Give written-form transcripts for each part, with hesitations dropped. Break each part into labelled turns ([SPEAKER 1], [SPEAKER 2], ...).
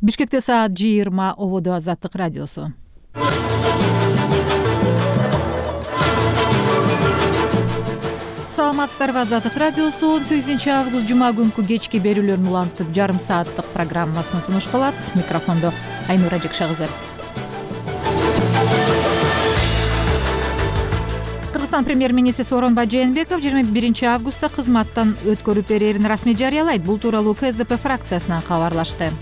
[SPEAKER 1] Бишкекте саат 20. Ободо Азаттык радиосу. Саламатсыздарбы, Азаттык радиосу 18-август жума күнкү кечки берүүлөрүн улантып жарым сааттык программасын сунуш кылат. Микрофондо Айнура Жекшагызы. Кыргызстан премьер-министри Сооронбай Жээнбеков 21-августта кызматтан өткөрүп берерин расмий жарыялайт. Бул тууралуу КСДП фракциясынан кабарлашты.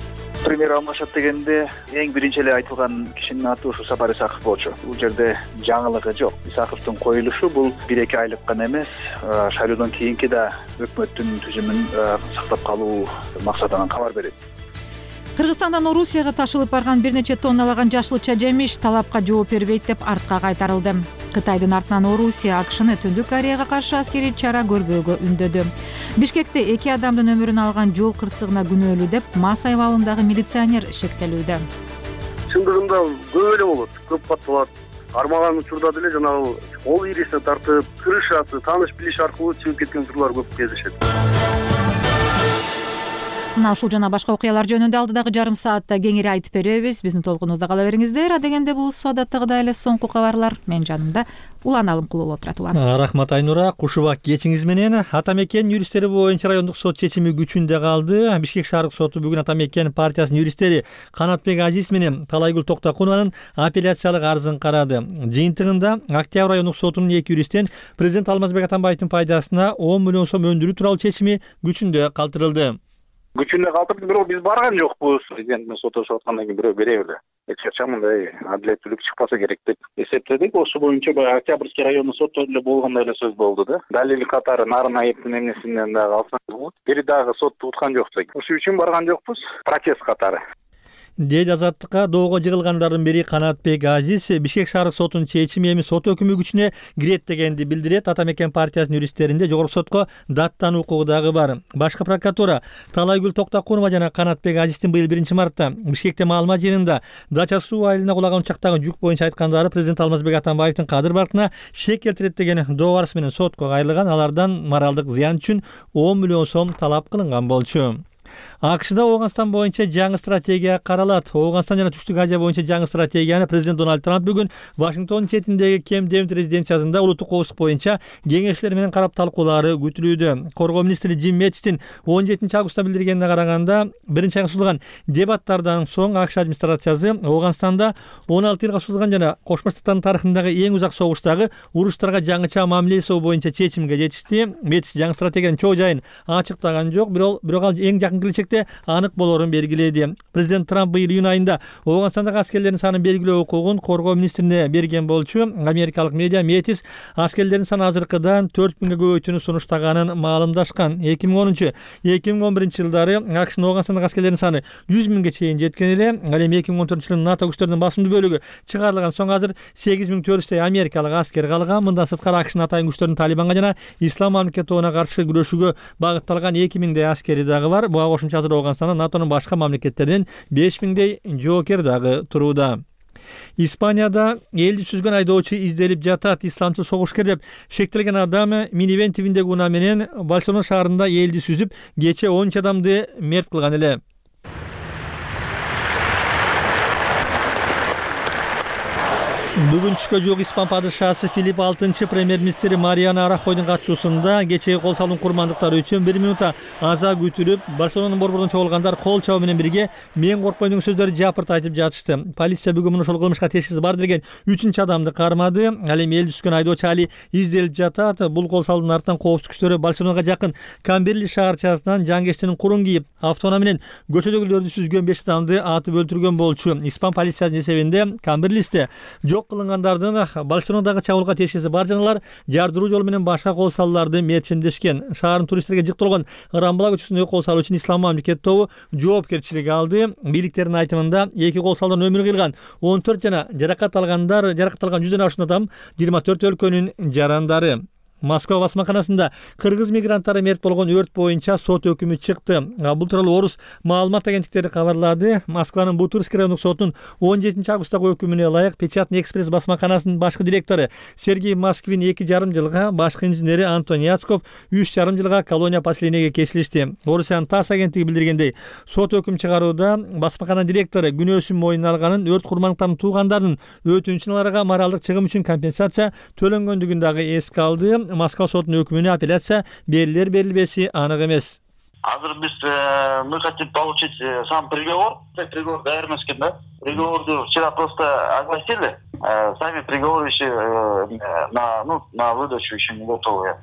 [SPEAKER 2] Премьер алмашат дегенде эң биринчи эле айтылган кишинин аты ушу Сапар Исаков болчу. Бул жерде жаңылыгы жок. Исаковдун коюлушу бул 1-2 айлык гана эмес, шайлоодон кийинки да өкмөттүн түзүмүн сактап калуу максатынан кабар берет.
[SPEAKER 1] Кыргызстандан Орусияга ташылып барган бир нече тонналаган жашылча жемиш талапка жооп бербейт деп артка кайтарылды. Кытайдын артынан Орусия АКШны Түндүк Кореяга каршы аскерий чара көрбөөгө үндөдү. Бишкекте 2 адамдын өмүрүн алган жол кырсыгына күнөөлүү деп МАЗ айвалындагы милиционер шектелүүдө.
[SPEAKER 3] Чындыгында көп эле болот, көп кат болот. Армаган учурда деле жанагы кол ирисине тартып, крышасы, тааныш билиш аркылуу чыгып кеткен учурлар көп кездешет.
[SPEAKER 1] Мына ушул жана башка окуялар жөнүндө алдыдагы жарым саатта кеңири айтып беребиз. Биздин толкунубузда кала бериңиздер. Адегенде бул адаттагыдай эле соңку кабарлар. Мен жанымда Улан Алымкулов отурат.
[SPEAKER 4] Рахмат Айнура. Кушубак кечиңиз менен. Атамекен юристтери боюнча райондук сот чечими күчүндө калды. Бишкек шаардык соту бүгүн Атамекен партиясынын юристтери Канатбек Азиз менен Талайгүл Токтокунованын апелляциялык арызын карады. Жыйынтыгында Октябрь райондук сотунун 2 юристтен президент Алмазбек Атамбаевдин пайдасына 10 миллион сом өндүрүү тууралуу чечими күчүндө калтырылды.
[SPEAKER 5] Күчүндө калтырды, бирок биз барган жокпуз. Президент менен соттошуп аткандан кийин бирөө бере эле. Эч качан мындай адилеттүүлүк чыкпаса керек деп эсептедик. Ошо боюнча баягы Октябрьский райондук сотто эле болгондой эле сөз болду да. Далил катары Нарын айыптын эмнесинен дагы алсаңыз болот. Бир дагы сотту уткан жокпуз. Ошол үчүн барган жокпуз. Протест катары.
[SPEAKER 4] Деди Азаттыкка доого жыгылгандардын бири Канатбек Азиз Бишкек шаардык сотунун чечими эми сот өкүмү күчүнө кирет дегенди билдирет. Атамекен партиясынын юристтеринде жогорку сотко даттануу укугу дагы бар. Башкы прокуратура Талайгүл Токтокунова жана Канатбек Азиздин быйыл 1-мартта Бишкекте маалымат жыйынында Дача суу айылына кулаган учактагы жүк боюнча айткандары президент Алмазбек Атамбаевдин кадыр баркына шек келтирет деген доо барысы менен сотко кайрылган. Алардан моралдык зыян үчүн 10 миллион сом талап кылынган болчу. АКШда Ооганстан боюнча жаңы стратегия каралат. Ооганстан жана Түштүк Азия боюнча жаңы стратегияны президент Дональд Трамп бүгүн Вашингтон четиндеги Кемп Дэвид резиденциясында улуттук коопсуздук боюнча кеңешчилер менен карап талкуулаары күтүлүүдө. Коргоо министри Джим Мэттистин 17-августта билдиргенине караганда, биринчи айга созулган дебаттардан соң АКШ администрациясы Ооганстанда 16 жылга созулган жана Кошмо Штаттардын тарыхындагы эң узак согуштагы уруштарга жаңыча мамиле жасоо боюнча чечимге жетишти. Мэттис жаңы стратегиянын чоо жайын ачыктаган жок, бирок ал эң жакын келечекте анык болорун белгиледи. Президент Трамп быйыл июнь айында Ооганстандагы аскерлердин санын белгилөө укугун коргоо министрине берген болчу. Америкалык медиа Мэттис аскерлердин саны азыркыдан 4000ге көбөйтүүнү сунуштаганын маалымдашкан. 2010-2011 жылдары АКШнын Ооганстандагы аскерлердин саны 100 миңге чейин жеткен эле. Ал эми 2014 жылы НАТО күчтөрүнүн басымдуу бөлүгү чыгарылган соң азыр 8400 америкалык аскер калган. Мындан сырткары АКШнын атайын күчтөрүнүн Талибанга жана Ислам мамлекети тобуна каршы күрөшүүгө багытталган 2000дей аскери дагы бар. Буга кошумча азыр Ооганстанда НАТОнун башка мамлекеттеринен 5000дей жоокер дагы турууда. Испанияда элди сүзгөн айдоочу изделип жатат. Исламчыл согушкер деп шектелген адам минивен тибиндеги унаа менен Барселона шаарында элди сүзүп, кече 13 адамды мерт кылган эле. Бүгүн түшкө жук Испан падышасы Филипп VI премьер-министри Мариано Рахойдун катышуусунда кечеги кол салуун курмандыктары үчүн 1 минутта аза күтүлүп, Барселонанын борборунан чогулгандар кол чабуу менен бирге мен коркпойм деген сөздөрдү жапырт айтып жатышты. Полиция бүгүн ушул кылмышка тешкиси бар деген 3-чү адамды кармады. Ал эми элди түшкөн айдоочу али изделип жатат. Бул кол салуунун артынан коопсуздук күчтөрү Барселонага жакын Камберли шаарчасынан жангечтинин курун кийип, автоунаа менен көчөдөгүлөрдү сүзгөн 5 адамды атып өлтүргөн болчу. Испан полициясынын эсебинде Камберлисте жок кылынгандардын Барселонадагы чабуулга тешкиси бар жаналар жардыруу жолу менен башка кол салууларды мерчимдешкен. Шаардын туристтерге жык толгон Рамбла көчөсүндөгү кол салуу үчүн Ислам мамлекети тобу жоопкерчилик алды. Бийликтердин айтымында 2 кол салуудан өмүрү кыйылган 14 жана жаракат алган 100дөн ашуун адам 24 өлкөнүн жарандары. Москва басмаканасында кыргыз мигранттары мерт болгон өрт боюнча сот өкүмү чыкты. Бул тууралуу Орус маалымат агенттиктери кабарлады. Москванын Бутырский райондук сотунун 17 августтагы өкүмүнө ылайык Печатный экспресс басмаканасынын башкы директору Сергей Москвин 2,5 жылга, башкы инженери Антон Яцков 3,5 жылга колония поселениеге кесилишти. Орусиянын ТАСС агенттиги билдиргендей, сот өкүм чыгарууда басмакана директору күнөөсүн мойнуна алганын, өрт курмандыктарынын туугандарынын өтүнчүн аларга моралдык чыгым үчүн компенсация төлөнгөндүгүн дагы эске алды. Москва сотунун өкүмүнө апелляция берилер-берилбеси анык эмес.
[SPEAKER 5] Азыр мы хотим получить сам приговор. Приговор даяр эмес экен да. Приговорду вчера просто огласили. Сами приговоры еще на выдачу еще не готовы.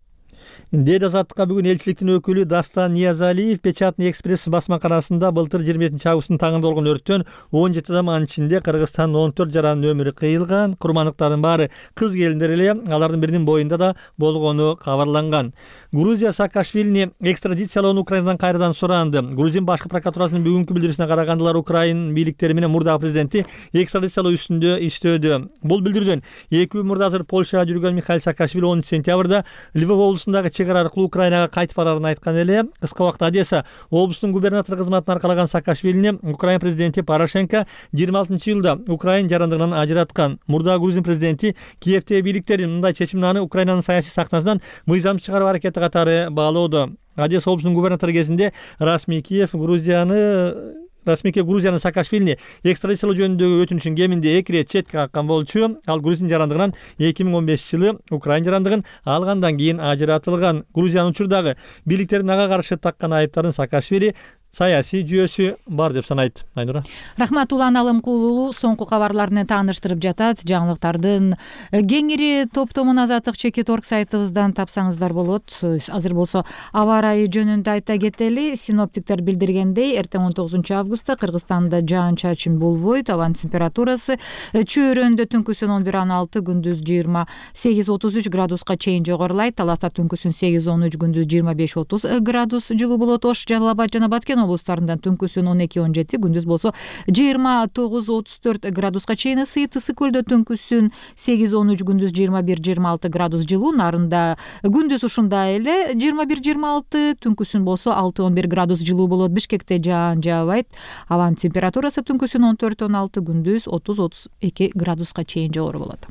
[SPEAKER 4] Дейт Азаттыкка бүгүн элчиликтин өкүлү Дастан Ниязалиев Печатный экспресс басмаканасында былтыр 27 августтун таңында болгон өрттөн 17 адам, анын ичинде Кыргызстандын 14 жаранын өмүрү кыйылган. Курмандыктардын баары кыз келиндер эле, алардын биринин боюнда да болгону кабарланган. Грузия Саакашвилини экстрадициялоону Украинадан кайрадан суранды. Грузин башкы прокуратурасынын бүгүнкү билдирүүсүнө караганда Украин бийликтери менен мурдагы президенти экстрадициялоо үстүндө иштөөдө. Бул билдирүүдөн 2 мурда азыр Польшага жүргөн Михаил Саакашвили 10 сентябрда Львов облусундагы чек ара аркылуу Украинага кайтып барарын айткан эле. Кыска убакта Одесса облустунун губернатору кызматын аркалаган Саакашвилини Украин президенти Порошенко 26-жылда Украин жарандыгынан ажыраткан. Мурда Грузин президенти Киевтеги бийликтердин мындай чечимин аны Украинанын саясий сахнасынан мыйзам чыгаруу аракети катары баалоодо. Одесса облусунун губернатору кезинде расмий Киев Грузиянын Саакашвилини экстрадициялоо жөнүндөгү өтүнүшүн кеминде 2 ирет четке каккан болчу. Ал Грузин жарандыгынан 2015-жылы Украин жарандыгын алгандан кийин ажыратылган. Грузиянын учурдагы бийликтердин ага каршы таккан айыптарын Саакашвили саясий жүйөсү бар деп санайт. Айнура.
[SPEAKER 1] Рахмат, Улан Алымкулуу соңку кабарларны тааныштырып жатат. Жаңылыктардын кеңири топтомун Азаттык чекит.org сайтыбыздан тапсаңыздар болот. Азыр болсо аба ырайы жөнүндө айта кетели. Синоптиктер билдиргендей, эртең 19 августта Кыргызстанда жаан-чачын болбойт. Абанын температурасы чөйрөндө түнкүсүн 11-6, күндүз 28-33 градуска чейин жогорулайт. Таласта түнкүсүн 8-13, күндүз 25-30 градус жылуу болот. Ош, Жалал Абад жана Баткен облустарында түнкүсүн 12-17, күндүз болсо 29-34 градуска чейин ысыйт. Ысык көлдө түнкүсүн 8-13, күндүз 21-26 градус жылуу. Нарында күндүз ушундай эле 21-26, түнкүсүн болсо 6-11 градус жылуу болот. Бишкекте жаан жаабайт. Абанын температурасы түнкүсүн 14-16, күндүз 30-32 градуска чейин жогору болот.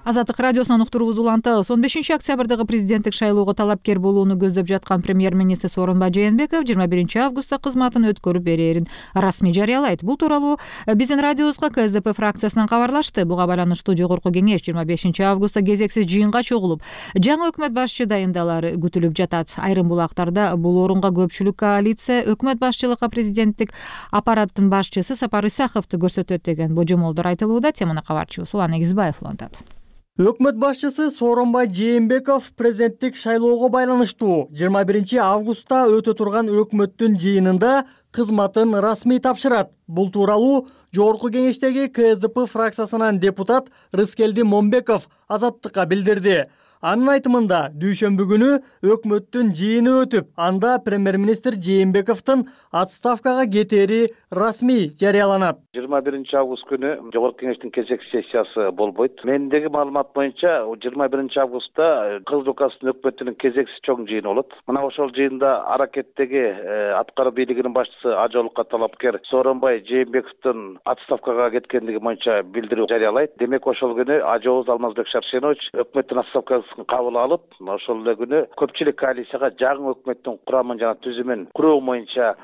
[SPEAKER 1] Азаттык радиосунан уктуруубузду улантабыз. 15 октябрдагы президенттик шайлоого талапкер болууну көздөп жаткан премьер-министр Сооронбай Жээнбеков 21 августта кызматын өткөрүп берерин расмий жарыялайт. Бул тууралуу биздин радиобузга КСДП фракциясынан кабарлашты. Буга байланыштуу жогорку кеңеш 25 августта кезексиз жыйынга чогулуп, жаңы өкмөт башчы дайындалары күтүлүп жатат. Айрым булактарда бул орунга көпчүлүк коалиция өкмөт башчылыкка президенттик аппараттын башчысы Сапар Исаховду көрсөтөт деген божомолдор айтылууда. Теманы кабарчыбыз Улан Эгизбаев улантат.
[SPEAKER 6] Өкмөт башчысы Сооронбай Жээнбеков президенттик шайлоого байланыштуу 21 августта өтө турган өкмөттүн жыйынында кызматын расмий тапшырат. Бул тууралуу жогорку кеңештеги КСДП фракциясынан депутат Рыскелди Момбеков Азаттыкка билдирди. Анын айтымында дүйшөмбү күнү өкмөттүн жыйыны өтүп, анда премьер-министр Жээнбековдун отставкага кетери расмий жарыяланат.
[SPEAKER 5] 21 август күнү жогорку кеңештин кезекчи сессиясы болбойт. Мендеги маалымат боюнча 21 августта Кыргыз УКМКнын өкмөтүнүн кезекчи чоң жыйыны болот. Мына ошол жыйында аракеттеги аткаруу бийлигинин башчысы Ажолукка талапкер Сооронбай Жээнбековдун отставкага кеткендиги боюнча билдирүү жарыялайт. Демек ошол күнү ажообуз Алмазбек Шаршенович өкмөттүн отставкасы кабыл алып, ошол эле күнү көпчүлүк коалицияга жаңы өкмөттүн курамын жана түзүмүн куруу боюнча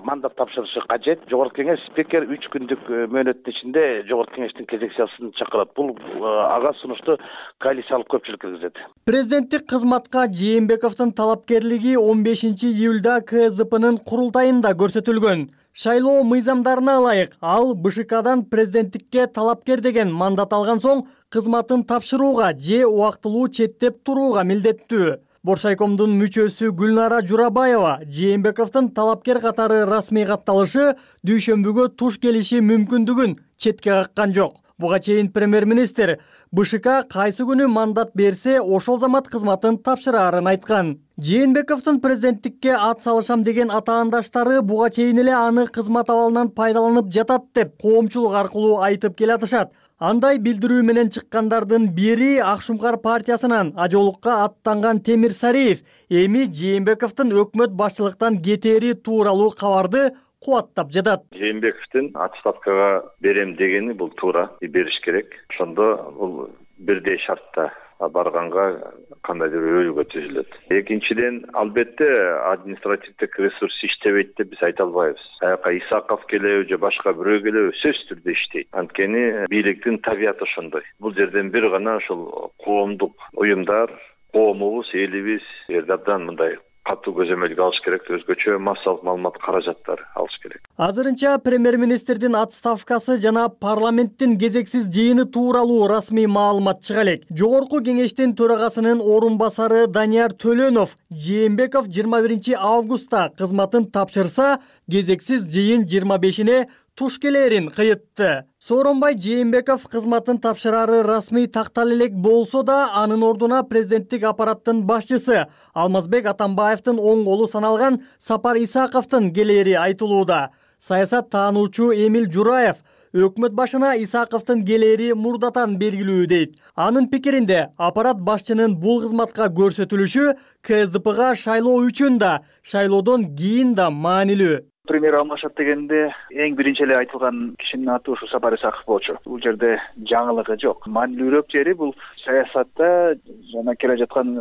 [SPEAKER 5] мандат тапшырышы кажет. Жогорку кеңеш спикер 3 күндүк мөөнөттүн ичинде жогорку кеңештин кезек сессиясын чакырат. Бул ага сунушту коалициялык көпчүлүк киргизет.
[SPEAKER 6] Президенттик кызматка Жээнбековдун талапкерлиги 15 июлда КСДПнын курултайында көрсөтүлгөн. Шайлоо мыйзамдарына ылайык ал БШКдан президенттикке талапкер деген мандат алган соң кызматын тапшырууга же убактылуу четтеп турууга милдеттүү. Боршайкомдун мүчөсү Гүлнара Журабаева Жээнбековдун талапкер катары расмий катталышы дүйшөмбүгө туш келиши мүмкүндүгүн четке каккан жок. Буга чейин премьер-министр БШК кайсы күнү мандат берсе, ошол замат кызматын тапшыраарын айткан. Жээнбековдун президенттикке ат салышам деген атаандаштары буга чейин эле аны кызмат абалынан пайдаланып жатат деп коомчулук аркылуу айтып келатышат. Андай билдирүү менен чыккандардын бири Ак Шумкар партиясынан ажолукка аттанган Темир Сариев эми Жээнбековдун өкмөт башчылыктан кетери тууралуу кабарды кубаттап жатат.
[SPEAKER 7] Жээнбековдун отставкага берем дегени бул туура, бериш керек. Ошондо бул бирдей шартта барганга кандайдыр өйгө түзүлөт. Экинчиден, албетте административдик ресурс иштебейт деп биз айта албайбыз. Аяка Исаков келеби же башка бирөө келеби сөзсүз түрдө иштейт. Анткени бийликтин табияты ошондой. Бул жерден бир гана ошол коомдук уюмдар, коомубуз, элибиз абдан мындай катуу көзөмөлгө алыш керек, өзгөчө массалык маалымат каражаттары алыш керек.
[SPEAKER 6] Азырынча премьер-министрдин отставкасы жана парламенттин кезексиз жыйыны тууралуу расмий маалымат чыга элек. Жогорку кеңештин төрагасынын орун басары Данияр Төлөнов Жээнбеков 21 августта кызматын тапшырса, кезексиз жыйын 25-ине туш келерин кыйытты. Сооронбай Жээнбеков кызматын тапшырары расмий тактала элек болсо да, анын ордуна президенттик аппараттын башчысы Алмазбек Атамбаевдин оң колу саналган Сапар Исаковдун келери айтылууда. Саясат таануучу Эмил Жураев өкмөт башына Исаковдун келери мурдатан белгилүү дейт. Анын пикиринде, аппарат башчынын бул кызматка көрсөтүлүшү КСДПга шайлоо үчүн да, шайлоодон кийин да маанилүү.
[SPEAKER 2] Премьер алмашат дегенде эң биринчи эле айтылган кишинин аты ушу Сапар Исаков болчу. Бул жерде жаңылыгы жок. Маанилүүрөөк жери бул саясатта жана келе жаткан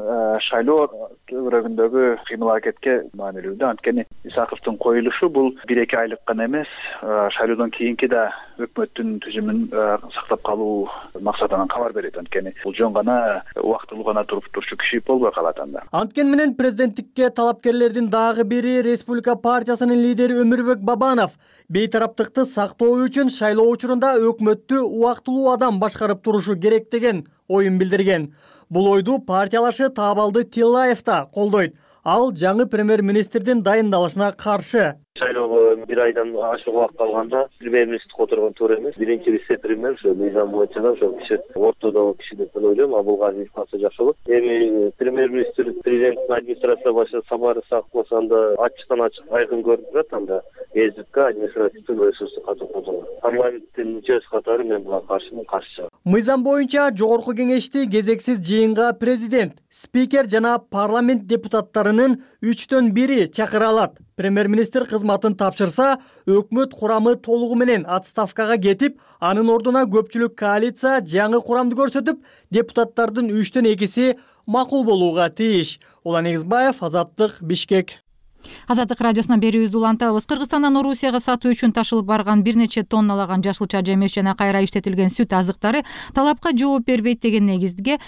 [SPEAKER 2] шайлоо төбөрөгүндөгү кыймыл аракетке маанилүү да. Анткени Исаковдун коюлушу бул 1-2 айлык гана эмес, шайлоодон кийинки да өкмөттүн түзүмүн сактап калуу максатынан кабар берет. Анткени бул жөн гана убактылуу гана туруп турчу киши болбой калат анда.
[SPEAKER 6] Анткен менен президенттикке талапкерлердин дагы бири Республика партиясынын лидери Өмүрбек Бабанов бейтараптыкты сактоо үчүн шайлоо учурунда өкмөттү убактылуу адам башкарып турушу керек деген оюн билдирген. Бул ойду партиялашы Таабалды Тиллаев да колдойт. Ал жаңы премьер-министрдин дайындалышына каршы.
[SPEAKER 8] Шайлоого бир айдан ашык убакыт калганда премьер-министр которгон туура эмес. Биринчи вице-премьер ошо мыйзам боюнча да ошол киши ортодогу киши деп ойлойм. Абулгазиев калса жакшы болот. Эми премьер-министр президенттин администрация башчысы Сапар Исаков болсо анда ачыктан ачык айкын көрүнүп турат. Анда ЭСДК административдин ресурсу катуу колдонгон. Парламенттин мүчөсү катары мен буга каршы.
[SPEAKER 6] Мыйзам боюнча жогорку кеңешти кезексиз жыйынга президент, спикер жана парламент депутаттарынын 3/1 чакыра алат. Премьер-министр кызматын тапшырса, өкмөт курамы толугу менен отставкага кетип, анын ордуна көпчүлүк коалиция жаңы курамды көрсөтүп, депутаттардын 3/2 макул болууга тийиш. Улан Эгизбаев, Азаттык, Бишкек.
[SPEAKER 1] Азаттык радиосунан берүүбүздү улантабыз. Кыргызстандан Орусияга сатуу үчүн ташылып барган бир нече тонналаган жашылча жемиш жана кайра иштетилген сүт азыктары талапка жооп бербейт деген негизге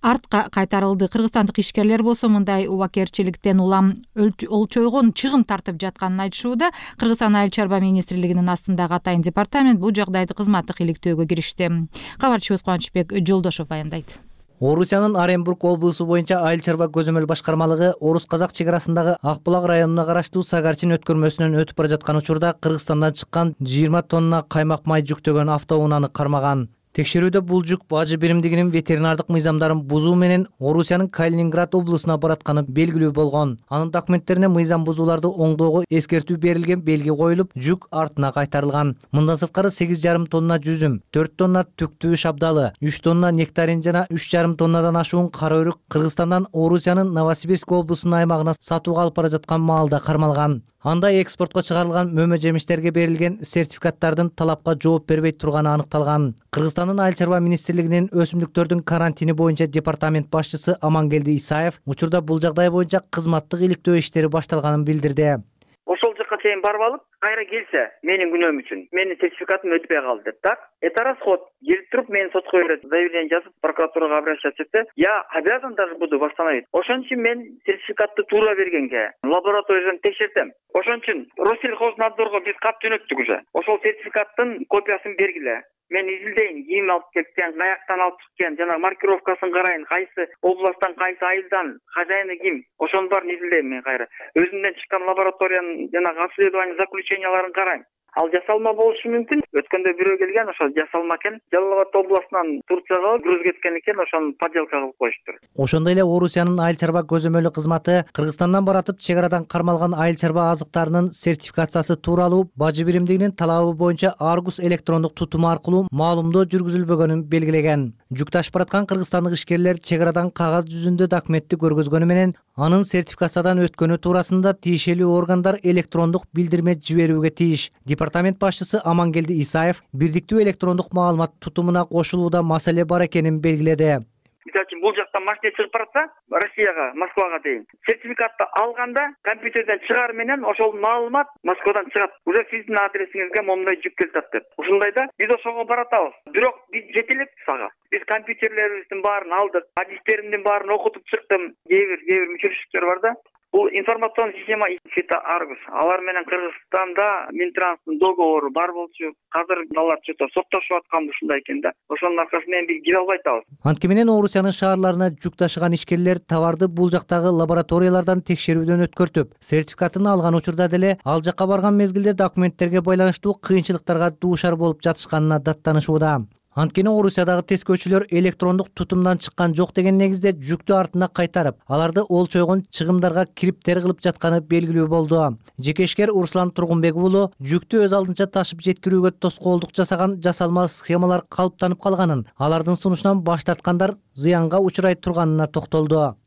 [SPEAKER 1] артка кайтарылды. Кыргызстандык ишкерлер болсо мындай убакерчиликтен улам олчойгон чыгым тартып жатканын айтышууда. Кыргызстан айыл чарба министрлигинин астындагы атайын департамент бул жагдайды кызматтык иликтөөгө киришти. Кабарчыбыз Кубанычбек Жолдошов баяндайт.
[SPEAKER 9] Орусиянын Оренбург облусу боюнча айыл чарба көзөмөл башкармалыгы Орус-Казак чек арасындагы Акбулак районуна караштуу Сагарчин өткөрмөсүнөн өтүп бара жаткан учурда Кыргызстандан чыккан 20 тонна каймак май жүктөгөн автоунааны кармаган. Текшерүүдө бул жүк бажы биримдигинин ветеринардык мыйзамдарын бузуу менен Орусиянын Калининград облусуна баратканы белгилүү болгон. Анын документтерине мыйзам бузууларды оңдоого эскертүү берилген белги коюлуп, жүк артына кайтарылган. Мындан сырткары 8,5 тонна жүзүм, 4 тонна түктүү шабдалы, 3 тонна нектарин жана 3,5 тоннадан ашуун кара өрүк Кыргызстандан Орусиянын Новосибирск облусунун аймагына сатууга алып бара жаткан маалда кармалган. Анда экспортко чыгарылган мөмө жемиштерге берилген сертификаттардын талапка жооп бербей турганы аныкталган. Кыргызстандын айыл чарба министрлигинин өсүмдүктөрдүн карантини боюнча департамент башчысы Амангелди Исаев учурда бул жагдай боюнча кызматтык иликтөө иштери башталганын билдирди.
[SPEAKER 10] Ошол жакка чейин барып алып, кайра келсе, менин күнөөм үчүн, менин сертификатым өтпөй калды деп. Так, эта расход келип туруп, мен сотко берет, заявление жазып, прокуратурага обращаться этсе, я обязан даже буду восстановить. Ошон үчүн мен сертификатты туура бергенге, лабораториядан текшертем. Ошон үчүн Россельхознадзорго биз кат жөнөттүк уже. Ошол сертификаттын копиясын бергиле. Мен изилдейин, ким алып кеткен, каяктан алып чыккан, жана маркировкасын карайын, кайсы областтан, кайсы айылдан, хозяины ким. Ошонун баарын изилдейм мен кайра. Өзүмдөн чыккан лабораториянын жана обследование заключенияларын карайм. ал жасалма болушу мүмкүн. Өткөндө бирөө келген, ошо жасалма экен. Жалал Абад областынан Турцияга груз кеткен экен, ошону подделка кылып коюштур.
[SPEAKER 9] Ошондой эле Орусиянын айыл чарба көзөмөлү кызматы Кыргызстандан баратып чек арадан кармалган айыл чарба азыктарынын сертификациясы тууралуу бажы биримдигинин талабы боюнча Аргус электрондук тутуму аркылуу маалымдоо жүргүзүлбөгөнүн белгилеген. Жүк ташып бараткан кыргызстандык ишкерлер чек арадан кагаз жүзүндө документти көргөзгөнү менен анын сертификациядан өткөнү туурасында тиешелүү органдар электрондук билдирме жиберүүгө тийиш. Департамент башчысы Амангелди Исаев бирдиктүү электрондук маалымат тутумуна кошулууда маселе бар экенин белгиледи.
[SPEAKER 10] Мисалы үчүн бул жактан машина чыгып баратса, Россияга, Москвага дейин, сертификатты алганда компьютерден чыгаар менен ошол маалымат Москвадан чыгат. Уже сиздин адресиңизге момундай жүк келип атат деп. Ушундайда биз ошого баратабыз. Бирок биз жете элек сага. Биз компьютерлерибиздин баарын алдык, адистеримдин баарын окутуп чыктым. Кээ бир мүчөчүлүктөр бар да. Бул информационный система Фита Аргус. Алар менен Кыргызстанда Минтранстын договору бар болчу. Азыр алар чөтө соттошуп аткан ушундай экен да. Ошонун аркасы менен биз кире албай атабыз.
[SPEAKER 9] Анткени менен Орусиянын шаарларына жүк ташыган ишкерлер товарды бул жактагы лабораториялардан текшерүүдөн өткөртүп, сертификатын алган учурда деле ал жакка барган мезгилде документтерге байланыштуу кыйынчылыктарга дуушар болуп жатышканына даттанышууда. Анткени Орусиядагы тескөөчүлөр электрондук тутумдан чыккан жок деген негизде жүктү артына кайтарып, аларды олчойгон чыгымдарга криптер кылып жатканы белгилүү болду. Жеке ишкер Руслан Тургунбек уулу жүктү өз алдынча ташып жеткирүүгө тоскоолдук жасаган жасалма схемалар калыптанып калганын, алардын сунушунан баш тарткандар зыянга учурай турганына токтолду.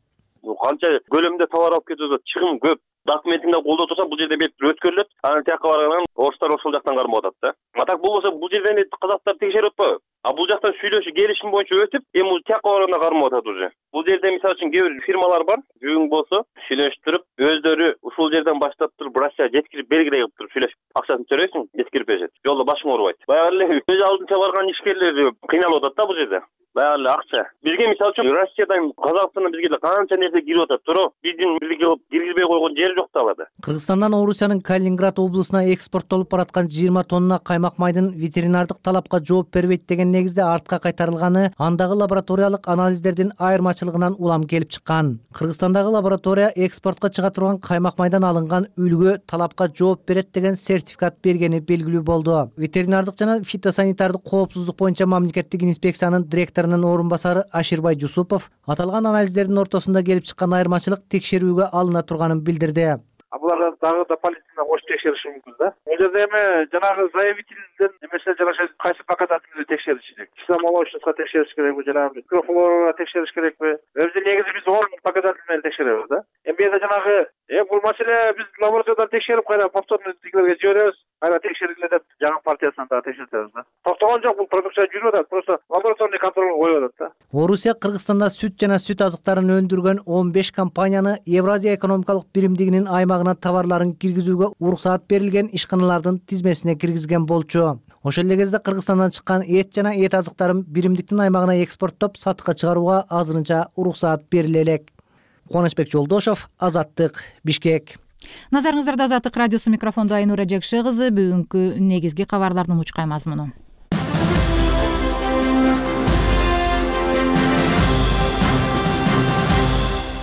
[SPEAKER 11] Канча көлөмдө товар алып кетүүдө чыгым көп. Документиңде колдо турса, бул жерде бет өткөрүлөт. Анан тияка баргандан орустар ошол жактан кармап атат да. Атак болбосо бул жерден казактар текшерип атпайбы? А бул жактан сүйлөшүп, келишим боюнча өтүп, эми бул тияка барганда кармап атат уже. Бул жерде мисалы үчүн кээ бир фирмалар бар, бүгүн болсо сүйлөштүрүп, өздөрү ушул жерден баштап туруп Россия жеткирип белгилей кылып туруп сүйлөшүп, акчасын төрөйсүң, жеткирип беришет. Жолдо башың оорубайт. Баягы эле өз алдынча барган ишкерлер кыйналып атат да бул жерде. Баягы эле акча. Бизге мисалы үчүн Россиядан Казакстандан бизге эле канча нерсе кирип атат, туруп биздин бирге кылып киргизбей койгон жери жок да аларда.
[SPEAKER 9] Кыргызстандан Орусиянын Калининград облусуна экспорттолуп бараткан 20 тонна каймак майдын ветеринардык талапка жооп бербейт деген негизде артка кайтарылганы андагы лабораториялык анализдердин айырмачылыгынан улам келип чыккан. Кыргызстандагы лаборатория экспортко чыга турган каймак майдан алынган үлгү талапка жооп берет деген сертификат бергени белгилүү болду. Ветеринардык жана фитосанитардык коопсуздук боюнча мамлекеттик инспекциянын директорунун орун басары Аширбай Жусупов аталган анализдердин ортосунда келип чыккан айырмачылык текшерүүгө алына турганын билдирди.
[SPEAKER 5] Буларга дагы да полицияна кошуп текшериши мүмкүн да. Бул жерде эми жанагы заявительден эмесе жанагы кайсы показательди текшериш керек. Кисломолочностько текшериш керекби, жанагы микрофлорага текшериш керекби? Өзү негизи биз он показатель менен текшеребиз да. Эми бу жанагы бул маселе биз лабораториядан текшерип кайра повторно тигилерге жиберебиз. Кайра текшериле деп жаңы партиясынан дагы текшертебиз да. Токтогон жок, бул продукция жүрүп атат, просто лабораторный контролго коюп атат да.
[SPEAKER 9] Орусия Кыргызстанда сүт жана сүт азыктарын өндүргөн 15 компанияны Евразия экономикалык биримдигинин аймагына товарларын киргизүүгө уруксаат берилген ишканалардын тизмесине киргизген болчу. Ошол эле кезде Кыргызстандан чыккан эт жана эт азыктарын биримдиктин аймагына экспорттоп сатыкка чыгарууга азырынча уруксаат бериле элек. Кубанычбек Жолдошов, Азаттык, Бишкек.
[SPEAKER 1] Назарыңыздарда Азаттык радиосу, микрофондо Айнура Жекше кызы. Бүгүнкү негизги кабарлардын учкай мазмуну.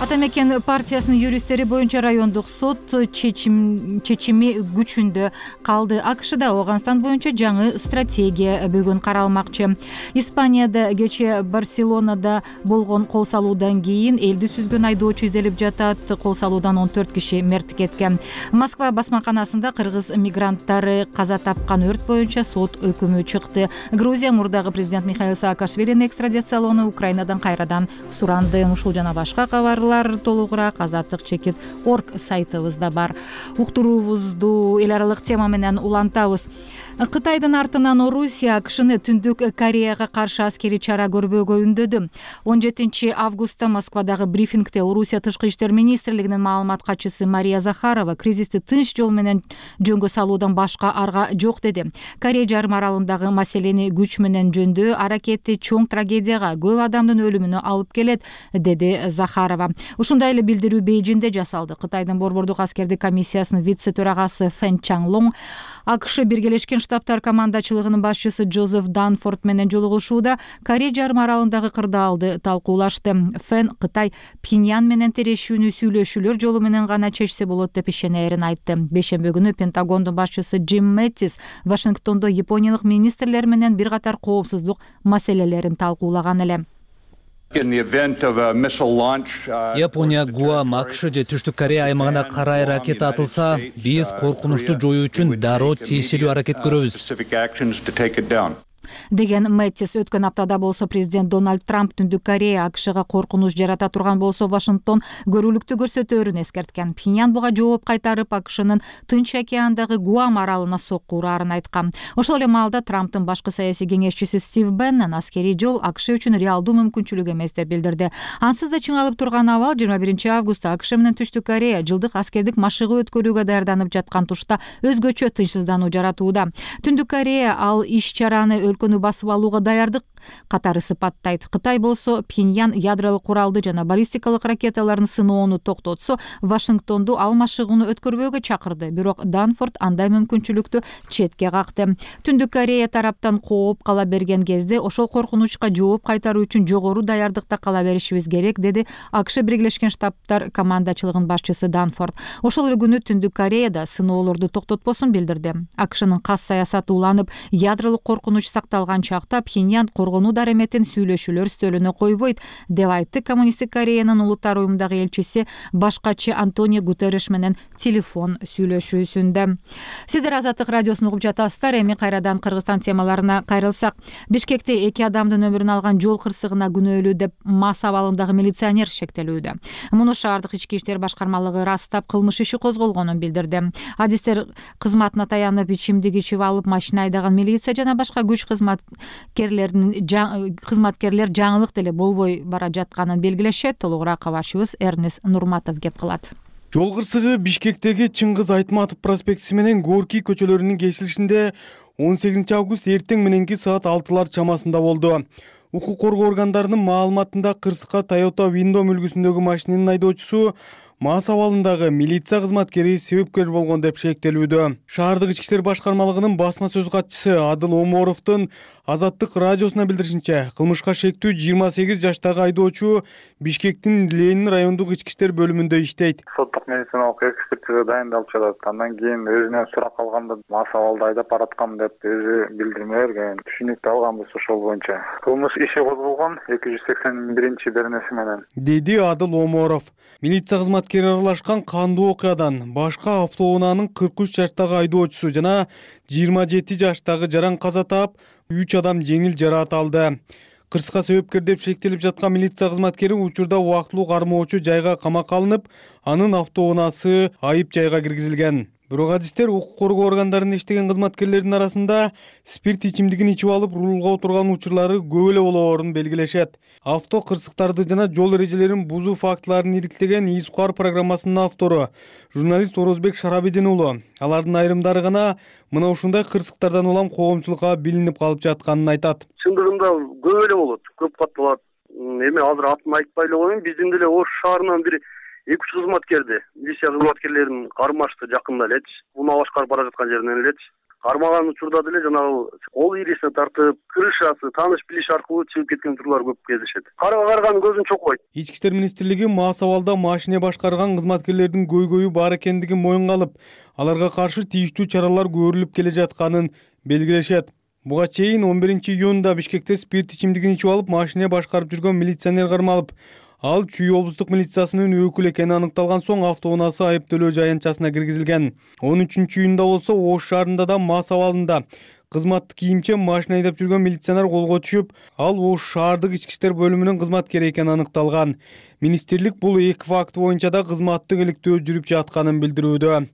[SPEAKER 1] Ата Мекен партиясынын юристтери боюнча райондук сот чечими күчүндө калды. АКШда Ооганстан боюнча жаңы стратегия бүгүн каралмакчы. Испанияда кечээ Барселонада болгон кол салуудан кийин элди сүзгөн айдоочу изделип жатат. Кол салуудан 14 киши мерт кеткен. Москва басмаканасында кыргыз мигранттары каза тапкан өрт боюнча сот өкүмү чыкты. Грузия мурдагы президент Михаил Саакашвилини экстрадициялоону Украинадан кайрадан суранды. Ушул жана башка кабарлар толугураак Азаттык.org сайтыбызда бар. Уктуруубузду эл аралык тема менен улантабыз. Кытайдын артынан Орусия АКШны Түндүк Кореяга каршы аскерий чара көрбөөгө үндөдү. 17 августта Москвадагы брифингде Орусия тышкы иштер министрлигинин маалымат катчысы Мария Захарова кризисти тынч жол менен жөнгө салуудан башка арга жок деди. Корея жарым аралындагы маселени күч менен жөндөө аракети чоң трагедияга, көп адамдын өлүмүнө алып келет, деди Захарова. Ушундай эле билдирүү Бейжиңде жасалды. Кытайдын борбордук аскердик комиссиясынын вице-төрагасы Фэн Чанлонг АКШ Биргелешкен Штаттар командачылыгынын башчысы Джозеф Данфорд менен жолугушууда Корея жарым аралындагы кырдаалды талкуулашты. Фэн Кытай Пхеньян менен тирешүүнү сүйлөшүүлөр жолу менен гана чечсе болот деп ишенерин айтты. Бейшемби күнү Пентагондун башчысы Джим Мэттис Вашингтондо япониялык министрлер менен бир катар коопсуздук маселелерин талкуулаган эле.
[SPEAKER 12] Япония, Гуам, АКШ же Түштүк Корея аймагына карай ракета атылса, биз коркунучту жоюу үчүн дароо тиешелүү аракет көрөбүз
[SPEAKER 1] деген Мэттис. Өткөн аптада болсо президент Дональд Трамп Түндүк Корея АКШга коркунуч жарата турган болсо Вашингтон көрүүлүктү көрсөтөөрүн эскерткен. Пхеньян буга жооп кайтарып АКШнын Тынч океандагы Гуам аралына сокку ураарын айткан. Ошол эле маалда Трамптын башкы саясий кеңешчиси Стив Беннон аскерий жол АКШ үчүн реалдуу мүмкүнчүлүк эмес деп билдирди. Ансыз да чыңалып турган абал 21 августта АКШ менен Түштүк Корея жылдык аскердик машыгуу өткөрүүгө даярданып жаткан тушта өзгөчө тынчсыздануу жаратууда. Түндүк Корея ал иш-чараны өлкөнү басып алууга даярдык катары сыпаттайт. Кытай болсо Пхеньян ядролук куралды жана баллистикалык ракеталарын сыноону токтотсо, Вашингтонду ал машыгууну өткөрбөөгө чакырды. Бирок Данфорд андай мүмкүнчүлүктү четке какты. Түндүк Корея тараптан кооп кала берген кезде ошол коркунучка жооп кайтаруу үчүн жогору даярдыкта кала беришибиз керек, деди АКШ Биргелешкен Штаттар командачылыгынын башчысы Данфорд. Ошол эле күнү Түндүк Кореяда сыноолорду токтотпосун билдирди. АКШнын кас саясаты уланып, ядролук коркунуч сакталган чакта Пхеньян коргонуу дареметин сүйлөшүүлөр стөлүнө койбойт, деп айтты Коммунисттик Кореянын улуттар уюмундагы элчиси башкачы Антонио Гутерреш менен телефон сүйлөшүүсүндө. Сиздер Азаттык радиосун угуп жатасыздар. Эми кайрадан Кыргызстан темаларына кайрылсак, Бишкекте 2 адамдын өмүрүн алган жол кырсыгына күнөөлүү деп МАС абалындагы милиционер шектелүүдө. Муну шаардык ички иштер башкармалыгы ырастап, кылмыш иши козголгонун билдирди. Адистер кызматына таянып, ичимдик ичип алып, машина айдаган милиция жана башка күч кызматкерлер жаңылык деле болбой бара жатканын белгилешет. Толугураак кабарчыбыз Эрнес Нурматов кеп кылат.
[SPEAKER 13] Жол кырсыгы Бишкектеги Чыңгыз Айтматов проспектиси менен Горький көчөлөрүнүн кесилишинде 18 август эртең мененки саат 6-лар чамасында болду. Укук коргоо органдарынын маалыматында кырсыкка Toyota Windom үлгүсүндөгү машинанын айдоочусу МАС абалындагы милиция кызматкери себепкер болгон деп шектелүүдө. Шаардык ички иштер башкармалыгынын басма сөз катчысы Адыл Оморовдун Азаттык радиосуна билдиришинче, кылмышка шектүү 28 жаштагы айдоочу Бишкектин Ленин райондук ички иштер бөлүмүндө иштейт.
[SPEAKER 5] Соттук медициналык экспертиза дайындалып жатат. Андан кийин өзүнөн сурак алганда МАС абалда айдап бараткан деп өзү билдирме берген. Түшүнүктүү алганбыз ошол боюнча. Кылмыш иши козголгон 281-беренеси менен,
[SPEAKER 13] деди Адыл Оморов. Милиция кызматкери аралашкан кандуу окуядан башка автоунаанын 43 жаштагы айдоочусу жана 27 жаштагы жаран каза таап, 3 адам жеңил жараат алды. Кырсыкка себепкер деп шектелип жаткан милиция кызматкери учурда убактылуу кармоочу жайга камакка алынып, анын автоунаасы айып жайга киргизилген. Бирок адистер укук коргоо органдарында иштеген кызматкерлердин арасында спирт ичимдигин ичип алып рулга отурган учурлары көп эле болоорун белгилешет. Авто кырсыктарды жана жол эрежелерин бузуу фактыларын ириктеген ИСУКАР программасынын автору журналист Орозбек Шарабидин уулу. Алардын айрымдары гана мына ушундай кырсыктардан улам коомчулукка билинип калып жатканын айтат.
[SPEAKER 3] Чындыгында көп эле болот, көп катталат. Эми азыр атын айтпай эле коеюн, биздин деле Ош шаарынан бир 2 кызматкерди, милиция кызматкерлерин кармашты жакында элечи. Уна башкарып бара жаткан жеринен элечи. Кармаган учурда деле жанагы кол ирисине тартып, крышасы, тааныш билиш аркылуу чыгып кеткен учурлар көп кездешет. Караган көзүн чокпойт.
[SPEAKER 13] Ички иштер министрлиги МАС абалда машина башкарган кызматкерлердин көйгөйү бар экендигин моюнга алып, аларга каршы тийиштүү чаралар көрүлүп келе жатканын белгилешет. Буга чейин 11 июнда Бишкекте спирт ичимдигин ичип алып, машина башкарып жүргөн милиционер кармалып, ал Чүй облустук милициясынын өкүлү экени аныкталган соң автоунаасы айыптөлөө жаянтчасына киргизилген. 13 июнда болсо Ош шаарында да МАС абалында кызматтык кийимче машина айдап жүргөн милиционер колго түшүп, ал Ош шаардык ички иштер бөлүмүнүн кызматкери экени аныкталган. Министрлик бул эки факт боюнча да кызматтык иликтөө жүрүп жатканын билдирүүдө.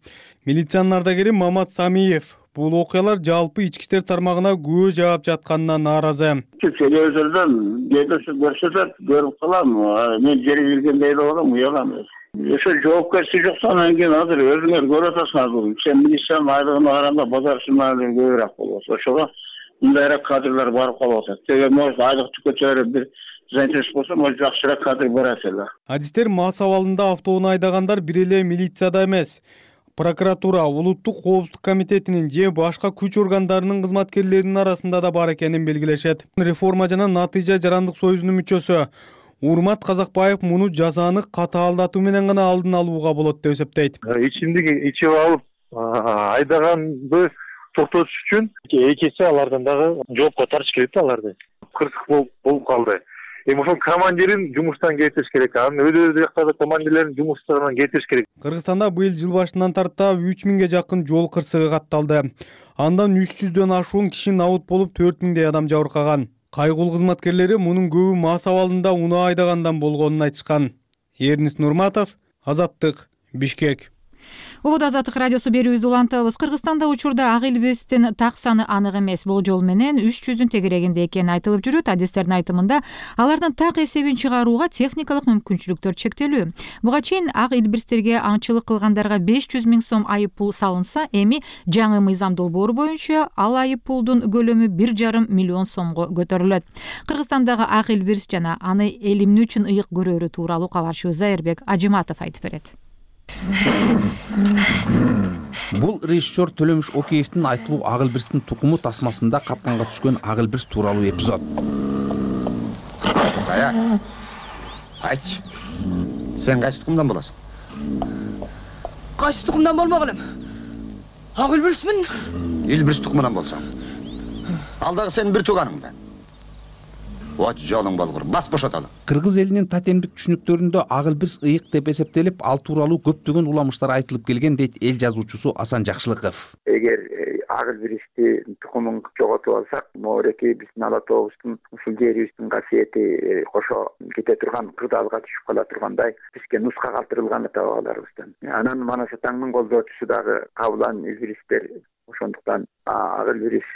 [SPEAKER 13] Милициянын ардагери Мамат Самиев бул окуялар жалпы ички иштер тармагына күбө жаап жатканынан нааразы.
[SPEAKER 14] Телевизордон көрсөтөт, көрүп калам. Мен жери билгендей эле болом, уялам. Ошо жоопкерчилик жок, анан кийин азыр өзүңөр көрүп атасыңар. Сен милициянын айлыгына караганда базар сымалары көбүрөөк болот. Ошого мындайраак кадрлар барып калып атат. Теге может айлыкты көтөрүп бир занятость болсо, может жакшыраак кадр барат эле.
[SPEAKER 13] Адистер МАС абалында автоунаа айдагандар бир эле милицияда эмес, прокуратура, улуттук коопсуздук комитетинин же башка күч органдарынын кызматкерлеринин арасында да бар экенин белгилешет. Реформа жана Натыйжа жарандык союзунун мүчөсү Урмат Казакбаев муну жазаны катаалдатуу менен гана алдын алууга болот деп эсептейт.
[SPEAKER 15] Ичимдик ичип алып айдаганды токтотуш үчүн экинчи алардан дагы жоопко тартыш керек да аларды. Кырсык болуп калды. Ошол командирин жумуштан кетириш керек. Анын өз жактагы командирлерин жумуштан кетириш керек.
[SPEAKER 13] Кыргызстанда быйыл жыл башынан тарта 3000ге жакын жол кырсыгы катталды. Андан 300дөн ашуун киши набут болуп, 4000дей адам жабыркаган. Кайгул кызматкерлери мунун көбү мас абалында унаа айдагандан болгонун айтышкан. Эрнис Нурматов, Азаттык, Бишкек.
[SPEAKER 1] Убуд Азаттык радиосу берүүбүздү улантабыз. Кыргызстанда учурда ак илбирстин так саны анык эмес. Болжол менен 300дүн тегерегинде экени айтылып жүрөт. Адистердин айтымында алардын так эсебин чыгарууга техникалык мүмкүнчүлүктөр чектелүү. Буга чейин ак илбирстерге аңчылык кылгандарга 500 000 сом айып пул салынса, эми жаңы мыйзам долбоору боюнча ал айып пулдун көлөмү 1,5 миллион сомго көтөрүлөт. Кыргызстандагы ак илбирс жана аны эл эмне үчүн ыйык көрөрү тууралуу кабарчыбыз Зайырбек Ажиматов айтып берет.
[SPEAKER 16] Бул режиссер Төлөмүш Океевдин айтылуу ак илбирстин тукуму тасмасында капканга түшкөн ак илбирс тууралуу эпизод.
[SPEAKER 17] Сая, айтчы, сен кайсы тукумдан болосуң?
[SPEAKER 18] Кайсы тукумдан болмок элем? Ак илбирсмин.
[SPEAKER 17] Илбирс тукумунан болсоң. Ал дагы сенин бир тууганыңдан. От жолуң болгур, бас бошотолу.
[SPEAKER 16] Кыргыз элинин тотемдик түшүнүктөрүндө ак илбирс ыйык деп эсептелип, ал тууралуу көптөгөн уламыштар айтылып келген дейт эл жазуучусу Асан Жакшылыков.
[SPEAKER 19] Эгер ак илбирсти тукумун жоготуп алсак, моореки биздин ала тообуздун ушул жерибиздин касиети кошо кете турган кырдаалга түшүп кала тургандай бизге нуска калтырылган таап аларыбыздан. Анан Манас Атаңдын колдоочусу дагы кабылан илбирстер. Ошондуктан ак илбирс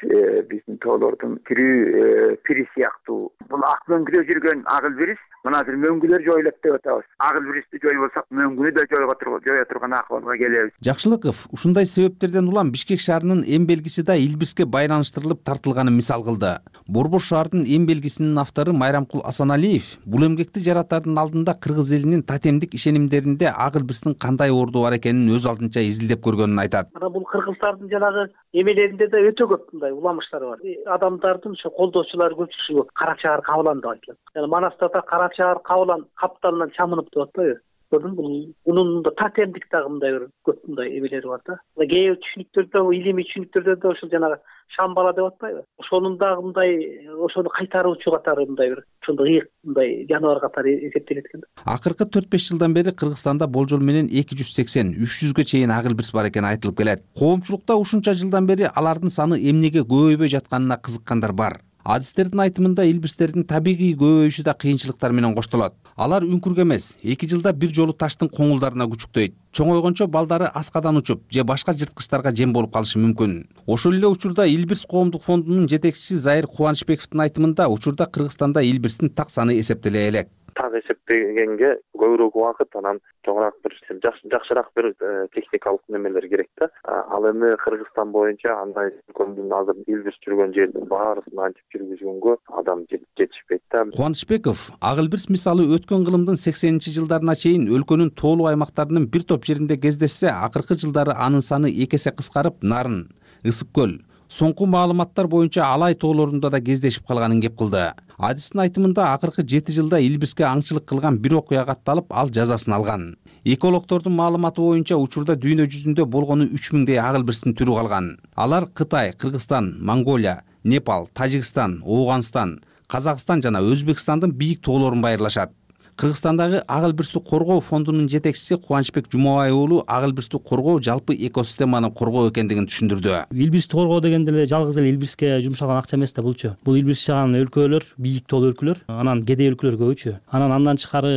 [SPEAKER 19] биздин тоолордун тирүү пири сыяктуу. Бул ак мөңгүдө жүргөн ак илбирс мына азыр мөңгүлөр жоюлат деп атабыз. Ак илбирсти жоюп алсак, мөңгүнү да жоя турган акыбалга келебиз.
[SPEAKER 16] Жакшылыков ушундай себептерден улам Бишкек шаарынын эм белгиси да илбирске байланыштырылып тартылганын мисал кылды. Борбор шаардын эм белгисинин автору Майрамкул Асаналиев бул эмгекти жаратардын алдында кыргыз элинин тотемдик ишенимдеринде ак илбирстин кандай орду бар экенин өз алдынча изилдеп көргөнүн айтат.
[SPEAKER 20] Мына бул кыргыздардын жанагы эмелеринде да өтө көп мындай уламыштар бар. Адамдардын ошо колдоочулары көпчүлүгү Кара Чаар Кабылан деп айтылат. Жана Манаста да Кара Чаар Кабылан капталынан чамынып деп атпайбы? Көрдүңбү? Мунун тотемдик дагы мындай бир көп мындай эмелери бар да. Кээ бир түшүнүктөрдө, илимий түшүнүктөрдө да ошол жанагы шамбала деп атпайбы? Ошонун дагы мындай ошону кайтаруучу катары мындай бир ошондой ыйык мындай жаныбар катары эсептелет экен.
[SPEAKER 16] Акыркы 4-5 жылдан бери Кыргызстанда болжол менен 280-300ге чейин ак илбирс бар экени айтылып келет. Коомчулукта ушунча жылдан бери алардын саны эмнеге көбөйбөй жатканына кызыккандар бар. Адистердин айтымында илбирстердин табигый көбөйүшү да кыйынчылыктар менен коштолот. Алар үңкүргө эмес, 2 жылда бир жолу таштын коңулдарына күчүктөйт. Чоңойгончо балдары аскадан учуп же башка жырткычтарга жем болуп калышы мүмкүн. Ошол эле учурда Илбирс коомдук фондунун жетекчиси Зайыр Кубанычбековдун айтымында учурда Кыргызстанда илбирстин так саны эсептеле элек.
[SPEAKER 21] Так эсептегенге көбүрөөк убакыт, анан чоңураак бир жакшыраак бир техникалык немелер керек да. Ал эми Кыргызстан боюнча андай көмдүн азыр илбирс жүргөн жердин баарысын антип жүргүзгөнгө адам жетишпейт да.
[SPEAKER 16] Кубанычбеков ак илбирс мисалы өткөн кылымдын 80-жылдарына чейин өлкөнүн тоолуу аймактарынын бир топ жеринде кездешсе, акыркы жылдары анын саны 2 эсе кыскарып, Нарын, Ысык көл, соңку маалыматтар боюнча Алай тоолорунда да кездешип калганын кеп кылды. Адистин айтымында акыркы 7 жылда илбирске аңчылык кылган бир окуя катталып, ал жазасын алган. Экологдордун маалыматы боюнча учурда дүйнө жүзүндө болгону 3000дей ак илбирстин түрү калган. Алар Кытай, Кыргызстан, Монголия, Непал, Тажикстан, Ооганстан, Казакстан жана Өзбекстандын бийик тоолорун байырлашат. Кыргызстандагы ак илбирсти коргоо фондунун жетекчиси Кубанычбек Жумабай уулу ак илбирсти коргоо жалпы экосистеманы коргоо экендигин түшүндүрдү.
[SPEAKER 22] Илбирсти коргоо дегенде эле жалгыз эле илбирске жумшалган акча эмес да булчу. Бул илбирс жаган өлкөлөр, бийик тоолуу өлкөлөр, анан кедей өлкөлөр көбүчү. Андан тышкары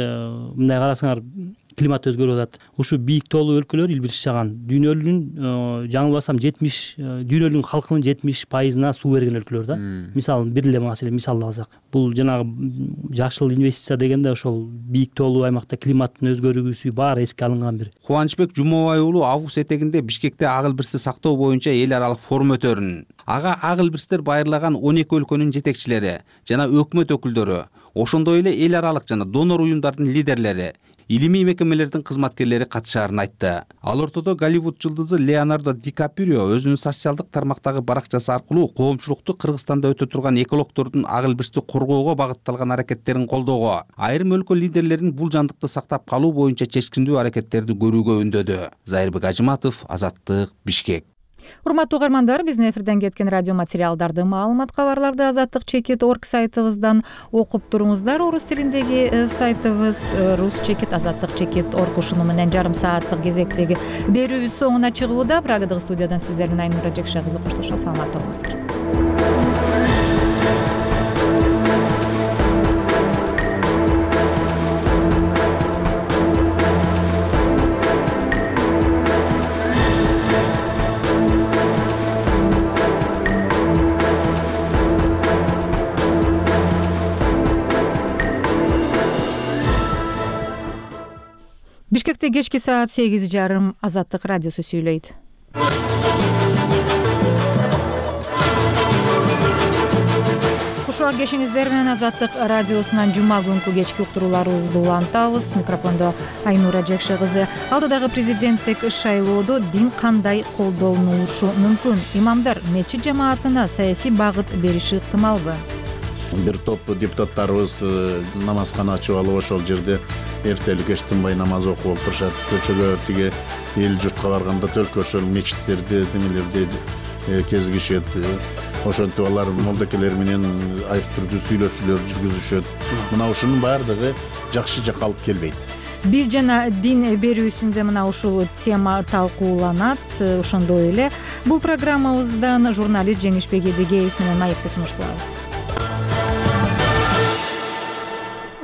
[SPEAKER 22] мындай карасаңар климат өзгөрүп атат. Ушу бийик тоолуу өлкөлөр илбирс жаган. Дүйнөнүн жаңылбасам 70 халкынын 70%-на суу берген өлкөлөр да. Мисалы бир эле маселе мисал алсак, бул жанагы жашыл инвестиция дегенде ошол бийик тоолуу аймакта климаттын өзгөрүүсү баары эске алынган бир.
[SPEAKER 16] Кубанычбек Жумабай уулу август этегинде Бишкекте ак илбирсти сактоо боюнча эл аралык форум өтөрүн. Ага ак илбирстер байырлаган 12 өлкөнүн жетекчилери жана өкмөт өкүлдөрү, ошондой эле эл аралык жана донор уюмдардын лидерлери, илимий мекемелердин кызматкерлери катышаарын айтты. Ал ортодо Голливуд жылдызы Леонардо Ди Каприо өзүнүн социалдык тармактагы баракчасы аркылуу коомчулукту Кыргызстанда өтө турган экологдордун ак илбирсти коргоого багытталган аракеттерин колдоого, айрым өлкө лидерлерин бул жандыкты сактап калуу боюнча чечкиндүү аракеттерди көрүүгө үндөдү. Зайырбек Ажыматов, Азаттык, Бишкек.
[SPEAKER 1] Урматтуу угармандар, биздин эфирден кеткен радио материалдарды, маалымат, кабарларды azatlyk.org сайтыбыздан окуп туруңуздар. Орус тилиндеги сайтыбыз rus.azatlyk.org. Ушуну менен жарым сааттык кезектеги берүүбүз соңуна чыгууда. Прагадагы студиядан сиздер менен Айнура Жекше кызы коштошот. Саламатта болуңуздар. Бишкекте кечки саат 8:30 Азаттык радиосу сүйлөйт. Кушуа кешиңиздер менен Азаттык радиосунан жума күнкү кечки уктурууларыбызды улантабыз. Микрофондо Айнура Жекше кызы. Алдыдагы президенттик шайлоодо дин кандай колдонулушу мүмкүн? Имамдар мечит жамаатына саясий багыт бериши ыктымалбы?
[SPEAKER 4] Бир топ депутаттарыбыз намазкана ачып алып ошол жерде эртели кеч тынбай намаз окуп отурушат. Көчөгө тиги эл журтка барганда только ошол мечиттерди, деңелерди кезигишет. Ошентип алар молдекелер менен айрым түрдүү сүйлөшүүлөр жүргүзүшөт. Мына ушунун баардыгы жакшы жакка алып келбейт.
[SPEAKER 1] Биз жана дин берүүсүндө мына ушул тема талкууланат. Ошондой эле бул программабыздан журналист Жеңишбек Эдегеев менен маекти сунуш кылабыз.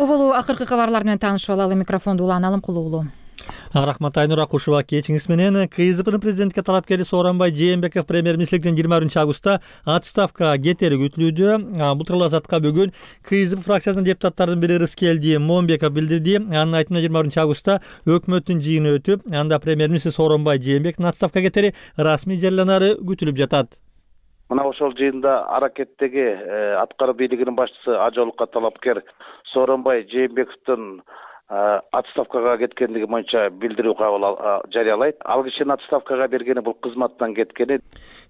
[SPEAKER 1] Оболу акыркы кабарлар менен таанышып алалы. Микрофонду улан Кулуулу.
[SPEAKER 7] Рахмат Айнура, кушуба кечиңиз менен. КСДПнын президентке талапкери Сооронбай Жээнбеков премьер-министрликтен 20-августта отставкага кетери күтүлүүдө. Бул тууралуу Азатка бүгүн КСДП фракциясынын депутаттарынын бири Рыскелди Момбеков билдирди. Анын айтымында 20-августта өкмөттүн жыйыны өтүп, анда премьер-министр Сооронбай Жээнбековдун отставкага кетери расмий жарыяланары күтүлүп жатат.
[SPEAKER 5] Мына ошол жыйында аракеттеги аткаруу бийлигинин башчысы ажалыкка талапкер Сооронбай Жээнбековдун отставкага кеткендиги боюнча билдирүү кабыл жарыялайт. Ал кишинин отставкага бергени бул кызматтан кеткени,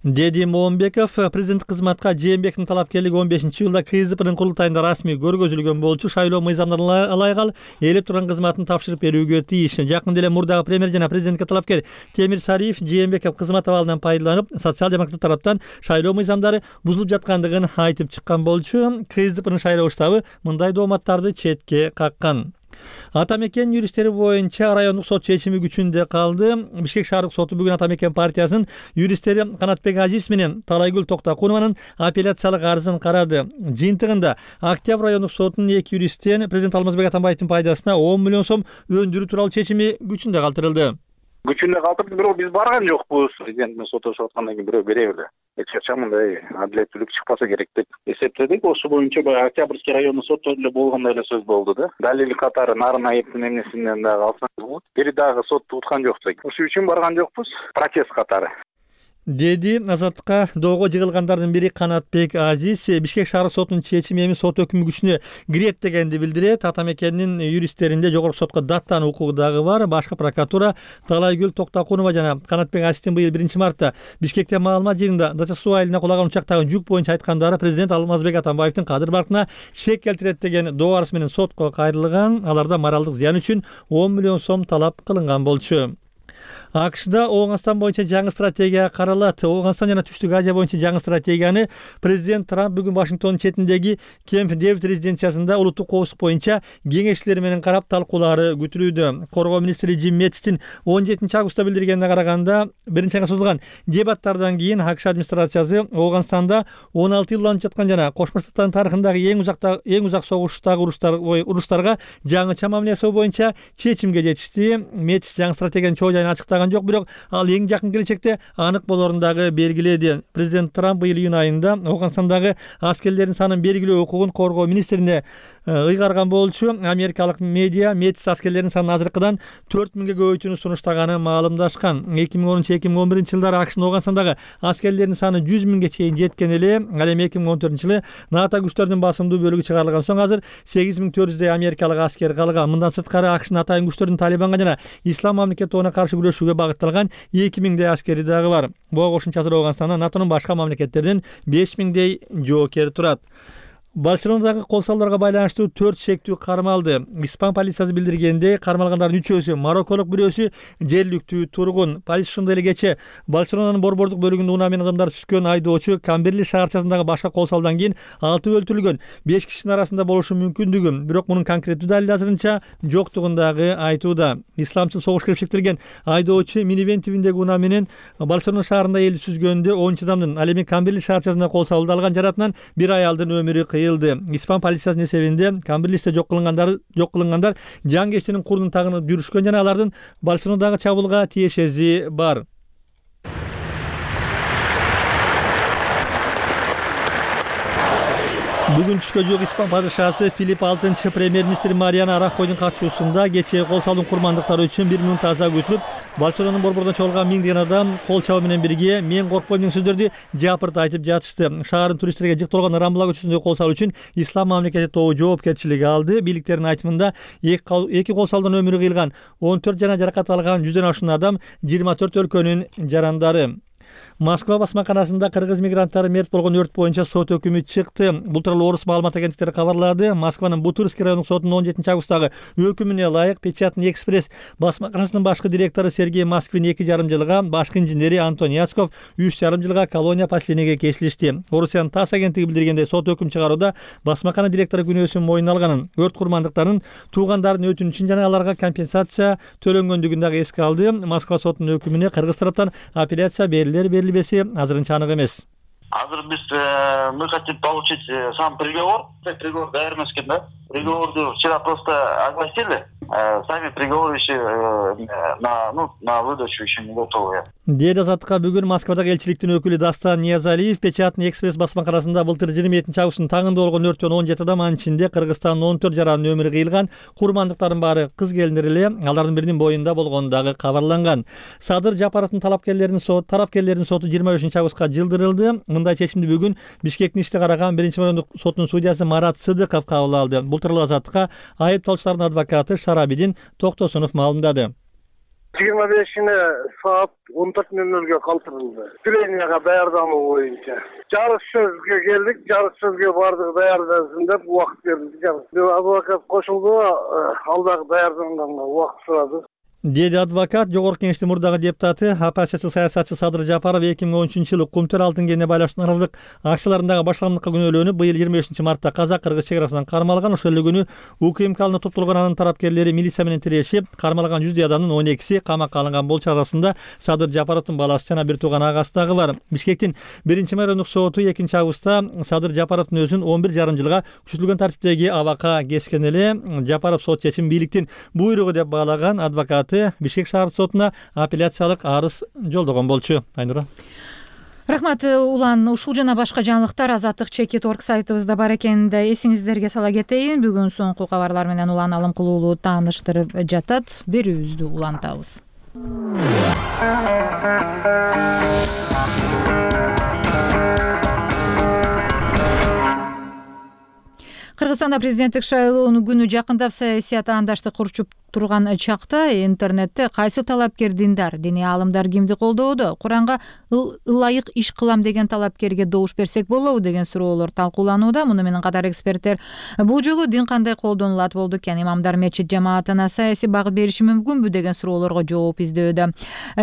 [SPEAKER 7] деди Момбеков. Президент кызматка Жээнбековдун талапкерлиги 15-жылда КСДПнын курултайында расмий көргөзүлгөн болчу. Шайлоо мыйзамдарына ылайык ал ээлеп турган кызматын тапшырып берүүгө тийиш. Жакында эле мурдагы премьер жана президентке талапкер Темир Сариев Жээнбеков кызмат абалынан пайдаланып, социал-демократтар тараптан шайлоо мыйзамдары бузулуп жаткандыгын айтып чыккан болчу. КСДПнын шайлоо штабы мындай дооматтарды четке каккан. Ата мекен юристтери боюнча райондук сот чечими күчүндө калды. Бишкек шаардык соту бүгүн Ата мекен партиясынын юристтери Канатбек Азиз менен Талайгүл Токтокунованын апелляциялык арызын карады. Жыйынтыгында Октябрь райондук сотунун эки юристтен президент Алмазбек Атамбаевдин пайдасына 10 миллион сом өндүрүү тууралуу чечими күчүндө калтырылды.
[SPEAKER 5] Күчүндө калтырды, бирок биз барган жокпуз. Президент менен сотошуп аткандан кийин бирөө бере эле. Эч качан мындай адилеттүүлүк чыкпаса керек деп эсептедик. Ошол боюнча баягы Октябрьский райондук сотто эле болгондой эле сөз болду да. Далил катары Нарын айыптын эмнесинен дагы алсаңыз болот. Бери дагы сотту уткан жокпуз. Ошол үчүн барган жокпуз. Протест катары.
[SPEAKER 7] Деди Азаттыкка доого жыгылгандардын бири Канатбек Азиз. Бишкек шаардык сотунун чечими эми сот өкүмү күчүнө кирет дегенди билдирет. Ата мекенин юристтеринде жогорку сотко даттануу укугу дагы бар. Башкы прокуратура Талайгүл Токтокунова жана Канатбек Азиздин быйыл 1-мартта Бишкекте маалымат жыйынында Дача суу айылына кулаган учактагы жүк боюнча айткандары президент Алмазбек Атамбаевдин кадыр баркына шек келтирет деген доо арыз менен сотко кайрылган. Аларда моралдык зыян үчүн 10 миллион сом талап кылынган болчу. АКШда Ооганстан боюнча жаңы стратегия каралат. Ооганстан жана Түштүк Азия боюнча жаңы стратегияны президент Трамп бүгүн Вашингтондун четиндеги Кемп Дэвид резиденциясында улуттук коопсуздук боюнча кеңешчилер менен карап талкуулары күтүлүүдө. Коргоо министри Джим Мэттистин 17-августта билдиргенине караганда, биринчи айга созулган дебаттардан кийин АКШ администрациясы Ооганстанда 16 жыл уланып жаткан жана Кошмо Штаттардын тарыхындагы эң узак согуштагы уруштарга жаңыча мамиле жасоо боюнча чечимге жетишти. Мэттис жаңы стратегиянын чоо жайын ачыктаган айтпаган жок, бирок ал эң жакын келечекте анык болорун дагы белгиледи. Президент Трамп быйыл июнь айында Афганстандагы аскерлердин санын белгилөө укугун коргоо министрине ыйгарган болчу. Америкалык медиа метис аскерлердин санын азыркыдан 4000ге көбөйтүүнү сунуштаганын маалымдашкан. 2013-2011 жылдары АКШнын Афганстандагы аскерлердин саны 100 миңге чейин жеткен эле. Ал эми 2014 жылы НАТО күчтөрүнүн басымдуу бөлүгү чыгарылган соң азыр 8400 америкалык аскер калган. Мындан сырткары АКШнын атайын күчтөрүнүн Талибанга жана Ислам мамлекети тобуна каршы күрөшүүгө багытталган 2000 аскери дагы бар. Буга кошумча азыр Афганстанда НАТОнун башка мамлекеттерден 5000 жоокер турат. Барселонадагы кол салууларга байланыштуу 4 шектүү кармалды. Испан полициясы билдиргендей, кармалгандардын 3-өсү марокколук, бирөөсү жергиликтүү тургун. Полиция ошондой эле кечээ Барселонанын борбордук бөлүгүндө унаа менен кымдар түзгөн айдоочу Камберли шаарчасындагы башка кол салуудан кийин 6 өлтүрүлгөн, 5 кишинин арасында болушу мүмкүндүгү, бирок мунун конкреттүү далили азырынча жоктугун дагы айтууда. Исламчыл согуш кирпичтирген айдоочу минивен тибиндеги унаа менен Барселона шаарында элди сүзгөндө 10 адамдын, ал эми Камберли шаарчасында кол салуууда алган жаратынан бир аялдын өмүрү кыйылды. Испан полициясынын эсебинде Камберлисте жок кылынгандар жан курдун тагынып жүрүшкөн жана алардын Барселонадагы чабуулга тиешеси бар. Бүгүн түшкө жук Испан падышасы Филипп VI премьер-министр Мариано Рахойдун катышуусунда кечээ кол салуунун курмандыктары үчүн 1 мүнөт таза күтүлүп, Барселонанын борборунан чогулган миңдеген адам кол чабуу менен бирге "Мен коркпойм" деген сөздөрдү жапырт айтып жатышты. Шаардын туристтерге жыктырылган Рамбла көчөсүндөгү кол салуу үчүн Ислам мамлекети тобу жоопкерчилиги алды. Бийликтердин айтымында эки кол салуудан өмүрү кыйылган 14 жана жаракат алган 100дөн ашуун адам 24 өлкөнүн жарандары. Москва басмаканасында кыргыз мигранттары мерт болгон өрт боюнча сот өкүмү чыкты. Бул тууралуу орус маалымат агенттиктери кабарлады. Москванын Бутырский райондук сотунун 17 августтагы өкүмүнө ылайык Печатный экспресс басмаканасынын башкы директору Сергей Москвин 2,5 жылга, башкы инженери Антон Яцков 3,5 жылга колония поселениеге кесилишти. Орусиянын ТАСС агенттиги билдиргендей, сот өкүм чыгарууда басмакана директору күнөөсүн мойнуна алганын, өрт курмандыктарынын туугандарынын өтүнүчүн жана аларга компенсация төлөнгөндүгүн дагы эске алды. Москва сотунун өкүмүнө кыргыз тараптан апелляция берилбеси азырынча анык эмес.
[SPEAKER 2] Азыр мы хотим получить сам приговор. Приговор даяр эмес экен да. Приговорду вчера просто огласили. Сами приговоры еще на выдачу еще не готовы.
[SPEAKER 7] Деди Азаттыкка бүгүн Москвадагы элчиликтин өкүлү Дастан Ниязалиев Печатный экспресс басмаканасында былтыр 27 августтун таңында болгон өрттөн 17 адам, анын ичинде Кыргызстандын 14 жаранын өмүрү кыйылган. Курмандыктардын баары кыз келиндер эле, алардын биринин боюнда болгону дагы кабарланган. Садыр Жапаровдун тарапкерлеринин соту 25 августка жылдырылды. Мындай чечимди бүгүн Бишкектин ишти караган 1-райондук сотунун судьясы Марат Сыдыков кабыл алды. Бул тууралуу Азаттыкка айыпталуучулардын адвокаты Шарабидин Токтосунов маалымдады.
[SPEAKER 8] 25-ine saat 14:00'ge kaldırıldı. Treniyaga daярдануу боюнча. Жарыш сөзгө келдик, жарыш сөзгө бардык даярдансын деп убакыт бердик. Адвокат кошулду, ал дагы даярданганга убакыт сурады.
[SPEAKER 7] Деди адвокат. Жогорку кеңештин мурдагы депутаты, оппозиция саясатчы Садыр Жапаров 2013-жылы Кумтөр алтын кенine байланыштуу аралык акчаларындагы башкалымдыкка күнөөлөнүп, быйыл 25 мартта Казак-Кыргыз чек арасынан кармалган. Ошол эле күнү УКМКнын топтолгон анын тарапкерлери милиция менен тирешип, кармалган 100 адамдын 12си камакка алынган болчу. Арасында Садыр Жапаровдун баласы жана бир тууган агасы дагы бар. Бишкектин 1-райондук соту 2 августта Садыр Жапаровдун өзүн 11,5 жылга күчөтүлгөн тартиптеги абакка кескен эле. Жапаров сот чечимин бийликтин буйругу деп баалаган. Адвокат Бишкек шаардык сотуна апелляциялык арыз жолдогон болчу. Айнура.
[SPEAKER 1] Рахмат Улан. Ушул жана башка жаңылыктар Азаттык Чекит.org сайтыбызда бар экенин да эсиңиздерге сала кетейин. Бүгүн соңку кабарлар менен Улан Алымкулуулу тааныштырып жатат. Берүүбүздү улантабыз. Кыргызстанда президенттик шайлоонун күнү жакындап, саясий атаандаштык урчуп турган чакта интернетте кайсы талапкер диндар, диний аалымдар кимди колдоодо, Куранга ылайык иш кылам деген талапкерге добуш берсек болобу деген суроолор талкууланууда. Муну менен катар эксперттер бул жолу дин кандай колдонулат болду экен, имамдар мечит жамаатына саясий багыт бериши мүмкүнбү деген суроолорго жооп издөөдө.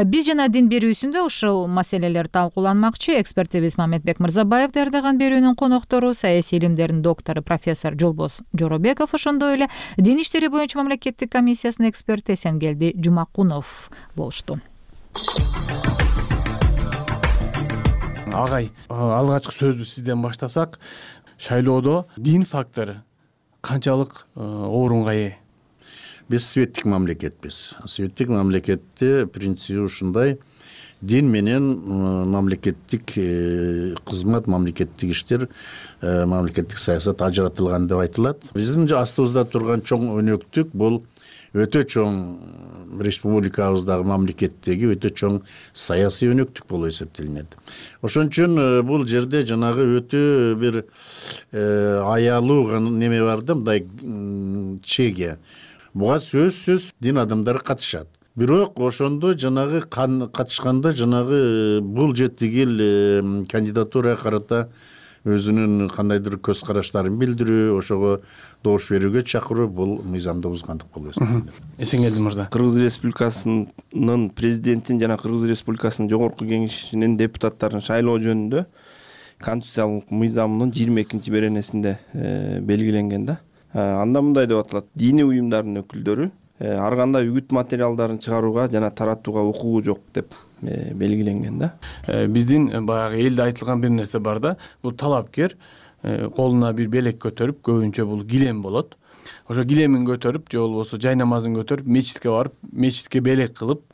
[SPEAKER 1] Биз жана дин берүүсүндө ушул маселелер талкууланмакчы. Экспертибиз Мамедбек Мырзабаев даярдаган берүүнүн коноктору саясий илимдердин доктору профессор Жолбоз Жоробеков, ошондой эле дин иштери боюнча мамлекеттик комиссиясынын эксперти Эсенгелди Жумакунов болушту.
[SPEAKER 13] Агай, алгачкы сөздү сизден баштасак, шайлоодо дин фактору канчалык орунга ээ?
[SPEAKER 4] Биз светтик мамлекетпиз. Светтик мамлекетте принципи ушундай: дин менен мамлекеттик кызмат, мамлекеттик иштер, мамлекеттик саясат ажыратылган деп айтылат. Биздин астыбызда турган чоң өнөктүк бул өтө чоң республикабыздагы мамлекеттеги өтө чоң саясий өнөктүк болуп эсептелинет. Ошон үчүн бул жерде жанагы өтө бир аялуу неме бар да, мындай чеге. Буга сөзсүз дин адамдары катышат. Бирок ошондо жанагы катышканда жанагы бул жетигил кандидатурага карата өзүнүн кандайдыр көз караштарын билдирүү, ошого добуш берүүгө чакыруу бул мыйзамды бузгандык болуп эсептелет.
[SPEAKER 6] Эсенгелди мырза,
[SPEAKER 10] Кыргыз Республикасынын президентин жана Кыргыз Республикасынын жогорку кеңешинин депутаттарын шайлоо жөнүндө конституциялык мыйзамдын 22 беренесинде белгиленген да. Анда мындай деп аталат: диний уюмдардын өкүлдөрү ар кандай үгүт материалдарын чыгарууга жана таратууга укугу жок деп белгиленген да.
[SPEAKER 6] Биздин баягы элде айтылган бир нерсе бар да. Бул талапкер колуна бир белек көтөрүп, көбүнчө бул килем болот. Ошо килемин көтөрүп же болбосо жай намазын көтөрүп мечитке барып, мечитке белек кылып,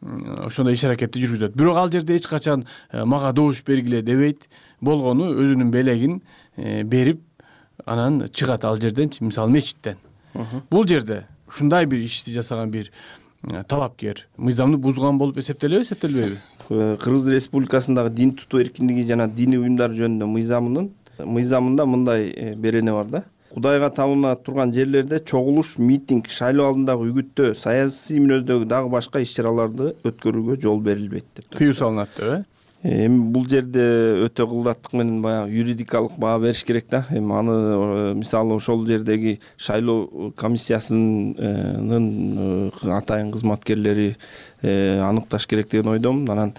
[SPEAKER 6] ошондой иш аракетти жүргүзөт. Бирок ал жерде эч качан мага добуш бергиле дебейт. Болгону өзүнүн белегин берип, анан чыгат ал жерден, мисалы мечиттен. Бул жерде ушундай бир ишти жасаган бир талапкер мыйзамды бузган болуп эсептелеби, эсептелбейби?
[SPEAKER 10] Кыргыз Республикасындагы дин тутуу эркиндиги жана диний уюмдар жөнүндө мыйзамында мындай берене бар да. Кудайга табына турган жерлерде чогулуш, митинг, шайлоо алдындагы үгүттөө, саясий мүнөздөгү дагы башка иш-чараларды өткөрүүгө жол берилбейт деп.
[SPEAKER 6] Тыюу салынат деп,
[SPEAKER 10] Эми бул жерде өтө кылдаттык менен баягы юридикалык баа бериш керек да. Эми аны мисалы ошол жердеги шайлоо комиссиясынын атайын кызматкерлери аныкташ керек деген ойдомун. Анан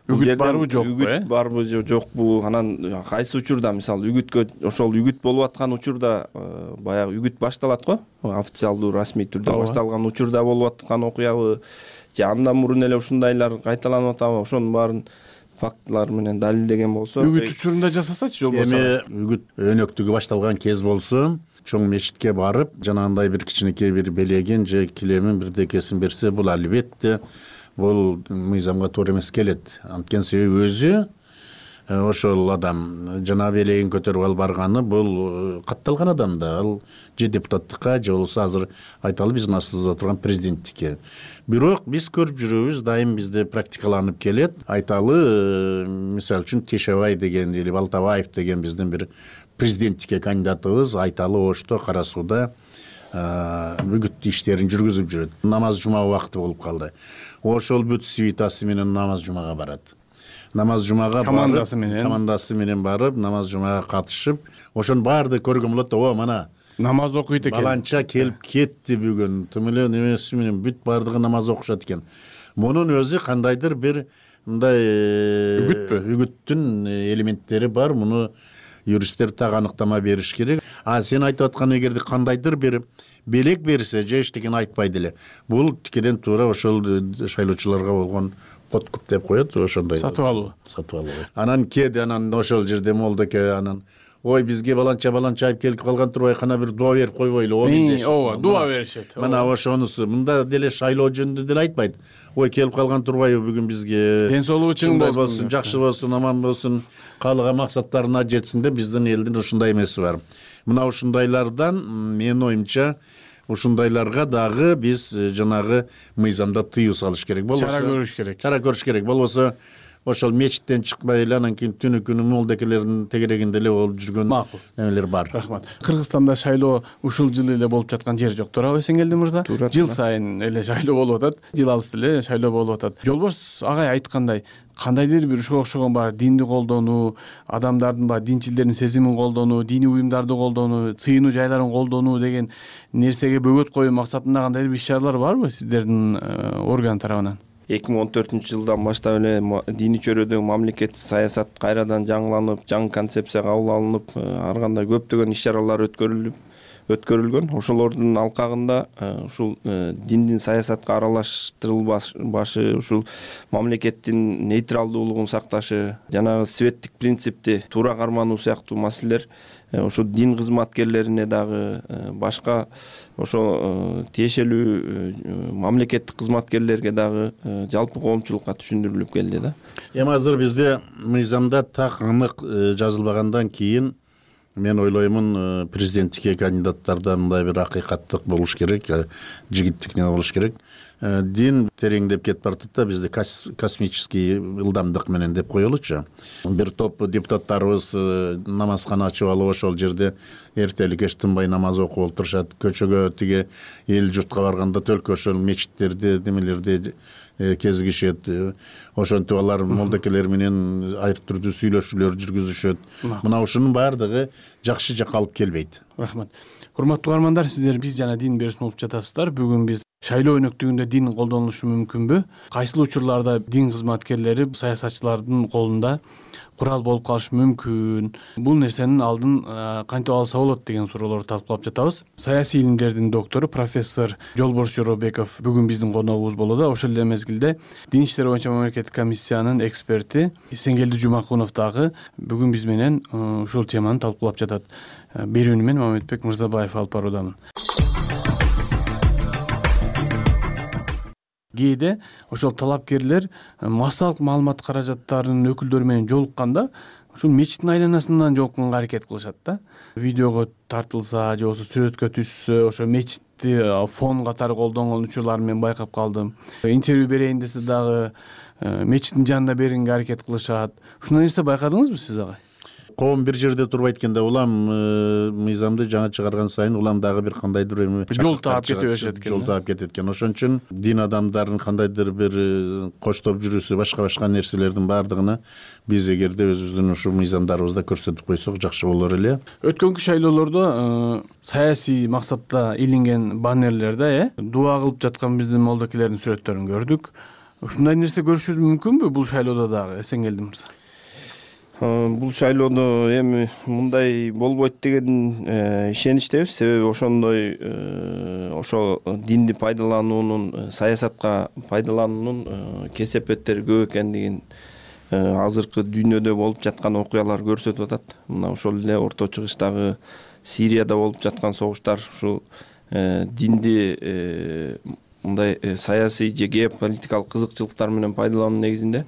[SPEAKER 6] үгүт барбы жокпу?
[SPEAKER 10] Үгүт барбы жокпу? Анан кайсы учурда, мисалы үгүткө, ошол үгүт болуп аткан учурда баягы үгүт башталат го, официалдуу расмий түрдө башталган учурда болуп аткан окуябы же андан мурун эле ушундайлар кайталанып атабы? Ошонун баарын фактылар менен далилдеген болсо,
[SPEAKER 6] үгүт учурунда жасасачы жол болсо.
[SPEAKER 4] Эми үгүт өнөктүгү башталган кез болсо, чоң мечитке барып, жанагындай бир кичинекей бир белегин же килемин бирдекесин берсе, бул албетте бул мыйзамга туура эмес келет. Анткени себеби өзү ошол адам жана белегин көтөрүп алып барганы бул катталган адам да. Ал же депутаттыкка же болбосо азыр айталы биздин астыбызда турган президенттикке. Бирок биз көрүп жүрөбүз, дайым бизде практикаланып келет. Айталы мисалы үчүн Тешебай деген или Балтабаев деген биздин бир президенттикке кандидатыбыз айталы Ошто, Кара Сууда үгүт иштерин жүргүзүп жүрөт. Намаз жума убакыты болуп калды. Ошол бүт свитасы менен намаз жумага барат. Намаз жумага командасы менен барып, намаз жумага катышып, ошонун баарды көргөн болот да, мана
[SPEAKER 6] намаз окуйт экен.
[SPEAKER 4] Баланча келип кетти бүгүн. Тим эле немеси менен бүт баардыгы намаз окушат экен. Мунун өзү кандайдыр бир мындай үгүттүн элементтери бар. Муну юристтер так аныктама бериш керек. Сен айтып аткан эгерде кандайдыр бир белек берсе же эчтекени айтпайды эле. Бул тикеден туура ошол шайлоочуларга болгон подкуп деп коет, ошондой.
[SPEAKER 6] Сатып алуу.
[SPEAKER 4] Анан кээде анан ошол жерде молдоке анан ой бизге баланча айып келип калган турбай кана бир дуа берип койбойлу.
[SPEAKER 6] Ооба, дуа беришет.
[SPEAKER 4] Мына ошонусу. Мында деле шайлоо жөнүндө деле айтпайт. Ой келип калган турбайбы бүгүн бизге.
[SPEAKER 6] Ден соолугу чың
[SPEAKER 4] болсун, жакшы болсун, аман болсун, каалаган максаттарына жетсин деп биздин элдин ушундай эмеси бар. Мына ушундайлардан менин оюмча ушундайларга дагы биз жанагы мыйзамда тыюу салыш керек болбосо. Чара көрүш керек. Болбосо ошол мечиттен чыкпай эле анан кийин түнү күнү молдекелердин тегерегинде эле болуп жүргөн немелер бар.
[SPEAKER 6] Рахмат. Кыргызстанда шайлоо ушул жылы эле болуп жаткан жер жок, туурабы Эсенгелди мырза? Жыл сайын эле шайлоо болуп атат, жыл алысты эле шайлоо болуп атат. Жолбош агай айткандай, кандайдыр бир ушуга окшогон бар динди колдонуу, адамдардын бар динчилдердин сезимин колдонуу, диний уюмдарды колдонуу, сыйынуу жайларын колдонуу деген нерсеге бөгөт коюу максатында кандайдыр бир иш-чаралар барбы сиздердин орган тарабынан?
[SPEAKER 10] 2014-жылдан баштап эле диний чөйрөдөгү мамлекеттик саясат кайрадан жаңыланып, жаңы концепция кабыл алынып, ар кандай көптөгөн иш-чаралар өткөрүлгөн. Ошолордун алкагында ушул диндин саясатка аралаштырылбашы, ушул мамлекеттин нейтралдуулугун сакташы, жанагы светтик принципти туура кармануу сыяктуу маселелер ошо дин кызматкерлерине дагы башка ошо тиешелүү мамлекеттик кызматкерлерге дагы жалпы коомчулукка түшүндүрүлүп келди да.
[SPEAKER 4] Эми азыр бизде мыйзамда так анык жазылбагандан кийин мен ойлоймун президенттикке кандидаттарда мындай бир акыйкаттык болуш керек, жигиттик не болуш керек. Дин тереңдеп кетип баратат да, бизде космический ылдамдык менен деп коелучу. Бир топ депутаттарыбыз намазкана ачып алып ошол жерде эртелик кеч тынбай намаз окуп олтурушат. Көчөгө тиги эл журтка барганда только ошол мечиттерди, немелерди кезигишет. Ошентип алар молдокелер менен айрып түрдүү сүйлөшүүлөр жүргүзүшөт. Мына ушунун баардыгы жакшы жакка алып келбейт.
[SPEAKER 6] Рахмат. Урматтуу угармандар, сиздер биз жана дин берүүсүн угуп жатасыздар. Бүгүн биз шайлоо өнөктүгүндө дин колдонулушу мүмкүнбү? Кайсыл учурларда дин кызматкерлери саясатчылардын колунда курал болуп калышы мүмкүн? Бул нерсенин алдын кантип алса болот деген суроолорду талкуулап жатабыз. Саясий илимдердин доктору профессор Жолборс Жоробеков бүгүн биздин коногубуз болууда. Ошол эле мезгилде дин иштери боюнча мамлекеттик комиссиянын эксперти Эсенгелди Жумакунов дагы бүгүн биз менен ушул теманы талкуулап жатат. Берүүнү мен Мамедбек Мырзабаев алып баруудамын. Кээде ошол талапкерлер массалык маалымат каражаттарынын өкүлдөрү менен жолукканда ушул мечиттин айланасынан жолукканга аракет кылышат да. Видеого тартылса же болбосо сүрөткө түшсө, ошо мечитти фон катары колдонгон учурларын мен байкап калдым. Интервью берейин десе дагы мечиттин жанында бергенге аракет кылышат. Ушундай нерсе байкадыңызбы сиз агай?
[SPEAKER 4] Коом бир жерде турбайт экен да, улам мыйзамды жаңы чыгарган сайын улам дагы бир кандайдыр эми
[SPEAKER 6] жол таап кете беришет экен.
[SPEAKER 4] Жол таап кетет экен. Ошон үчүн дин адамдарын кандайдыр бир коштоп жүрүүсү, башка нерселердин баардыгына биз эгерде өзүбүздүн ушу мыйзамдарыбызда көрсөтүп койсок жакшы болор эле.
[SPEAKER 6] Өткөнкү шайлоолордо саясий максатта илинген баннерлерде дуа кылып жаткан биздин молдокелердин сүрөттөрүн көрдүк. Ушундай нерсе көрүшүбүз мүмкүнбү бул шайлоодо дагы, Эсенгелди мырза?
[SPEAKER 10] Бул шайлоодо эми мындай болбойт деген ишеничтебиз. Себеби ошондой ошо динди пайдалануунун, саясатка пайдалануунун кесепеттери көп экендигин азыркы дүйнөдө болуп жаткан окуялар көрсөтүп атат. Мына ошол эле Орто Чыгыштагы Сирияда болуп жаткан согуштар ушул динди мындай саясий же геополитикалык кызыкчылыктар менен пайдалануу негизинде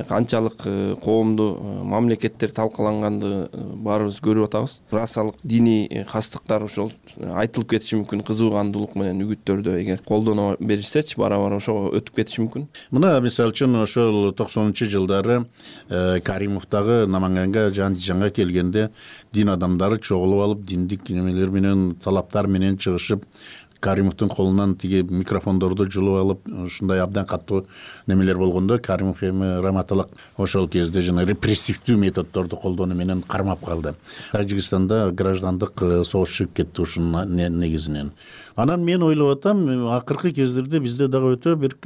[SPEAKER 10] канчалык коомду, мамлекеттер талкаланганды баарыбыз көрүп атабыз. Расалык диний кастыктар ошол айтылып кетиши мүмкүн, кызуугандуулук менен үгүттөрдө эгер колдоно беришсечи бара-бара ошого өтүп кетиши мүмкүн.
[SPEAKER 4] Мына мисалы үчүн ошол 90-жылдары Каримовдагы Наманганга Жандижанга келгенде дин адамдары чогулуп алып, диндик немелер менен, талаптар менен чыгышып, Каримовдун колунан тиги микрофондорду жулуп алып, ушундай абдан катуу немелер болгондо Каримов эми раматалык ошол кезде жана репрессивдүү методдорду колдонуу менен кармап калды. Тажикстанда граждандык согуш чыгып кетти ушунун негизинен. Анан мен ойлоп атам, акыркы кездерде бизде дагы өтө бир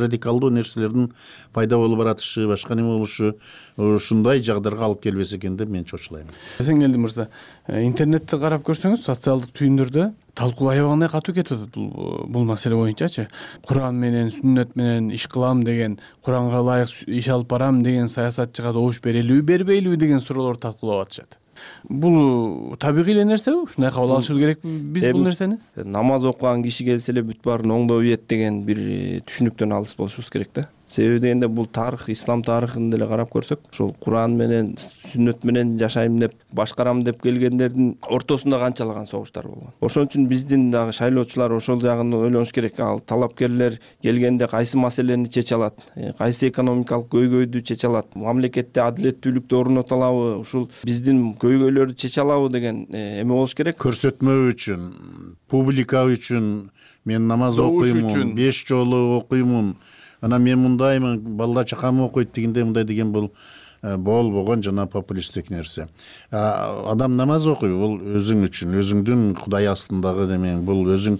[SPEAKER 4] радикалдуу нерселердин пайда болуп баратышы, башка неме болушу ушундай жагдайга алып келбесе экен деп мен чочулайм.
[SPEAKER 6] Эсенгелди мырза, интернетте карап көрсөңүз, социалдык түйүндөрдө талкуу аябагандай катуу кетип атат бул маселе боюнчачы. Куран менен, сүннөт менен иш кылам деген, Куранга ылайык иш алып барам деген саясатчыга добуш берелиби, бербейлиби деген суроолорду талкуулап атышат. Бул табигый эле нерсеби? Ушундай кабыл алышыбыз керекпи биз бул нерсени?
[SPEAKER 10] Намаз окуган киши келсе эле бүт баарын оңдоп ийет деген бир түшүнүктөн алыс болушубуз керек да. Себеби дегенде бул тарых, ислам тарыхын деле карап көрсөк, ушул Куран менен, сүннөт менен жашайм деп, башкарам деп келгендердин ортосунда канчалаган согуштар болгон. Ошон үчүн биздин дагы шайлоочулар ошол жагын ойлонуш керек. Ал талапкерлер келгенде кайсы маселени чече алат, кайсы экономикалык көйгөйдү чече алат, мамлекетте адилеттүүлүктү орното алабы, ушул биздин көйгөйлөрдү чече алабы деген эме болуш керек.
[SPEAKER 4] Көрсөтмө үчүн, публика үчүн мен намаз окуймун, 5 жолу окуймун. Анан мен мындаймын, балдар чакам окуйт дегенде мындай деген бул болбогон жана популисттик нерсе. Адам намаз окуйт, бул өзүң үчүн, өзүңдүн Кудай астындагы демең, бул өзүң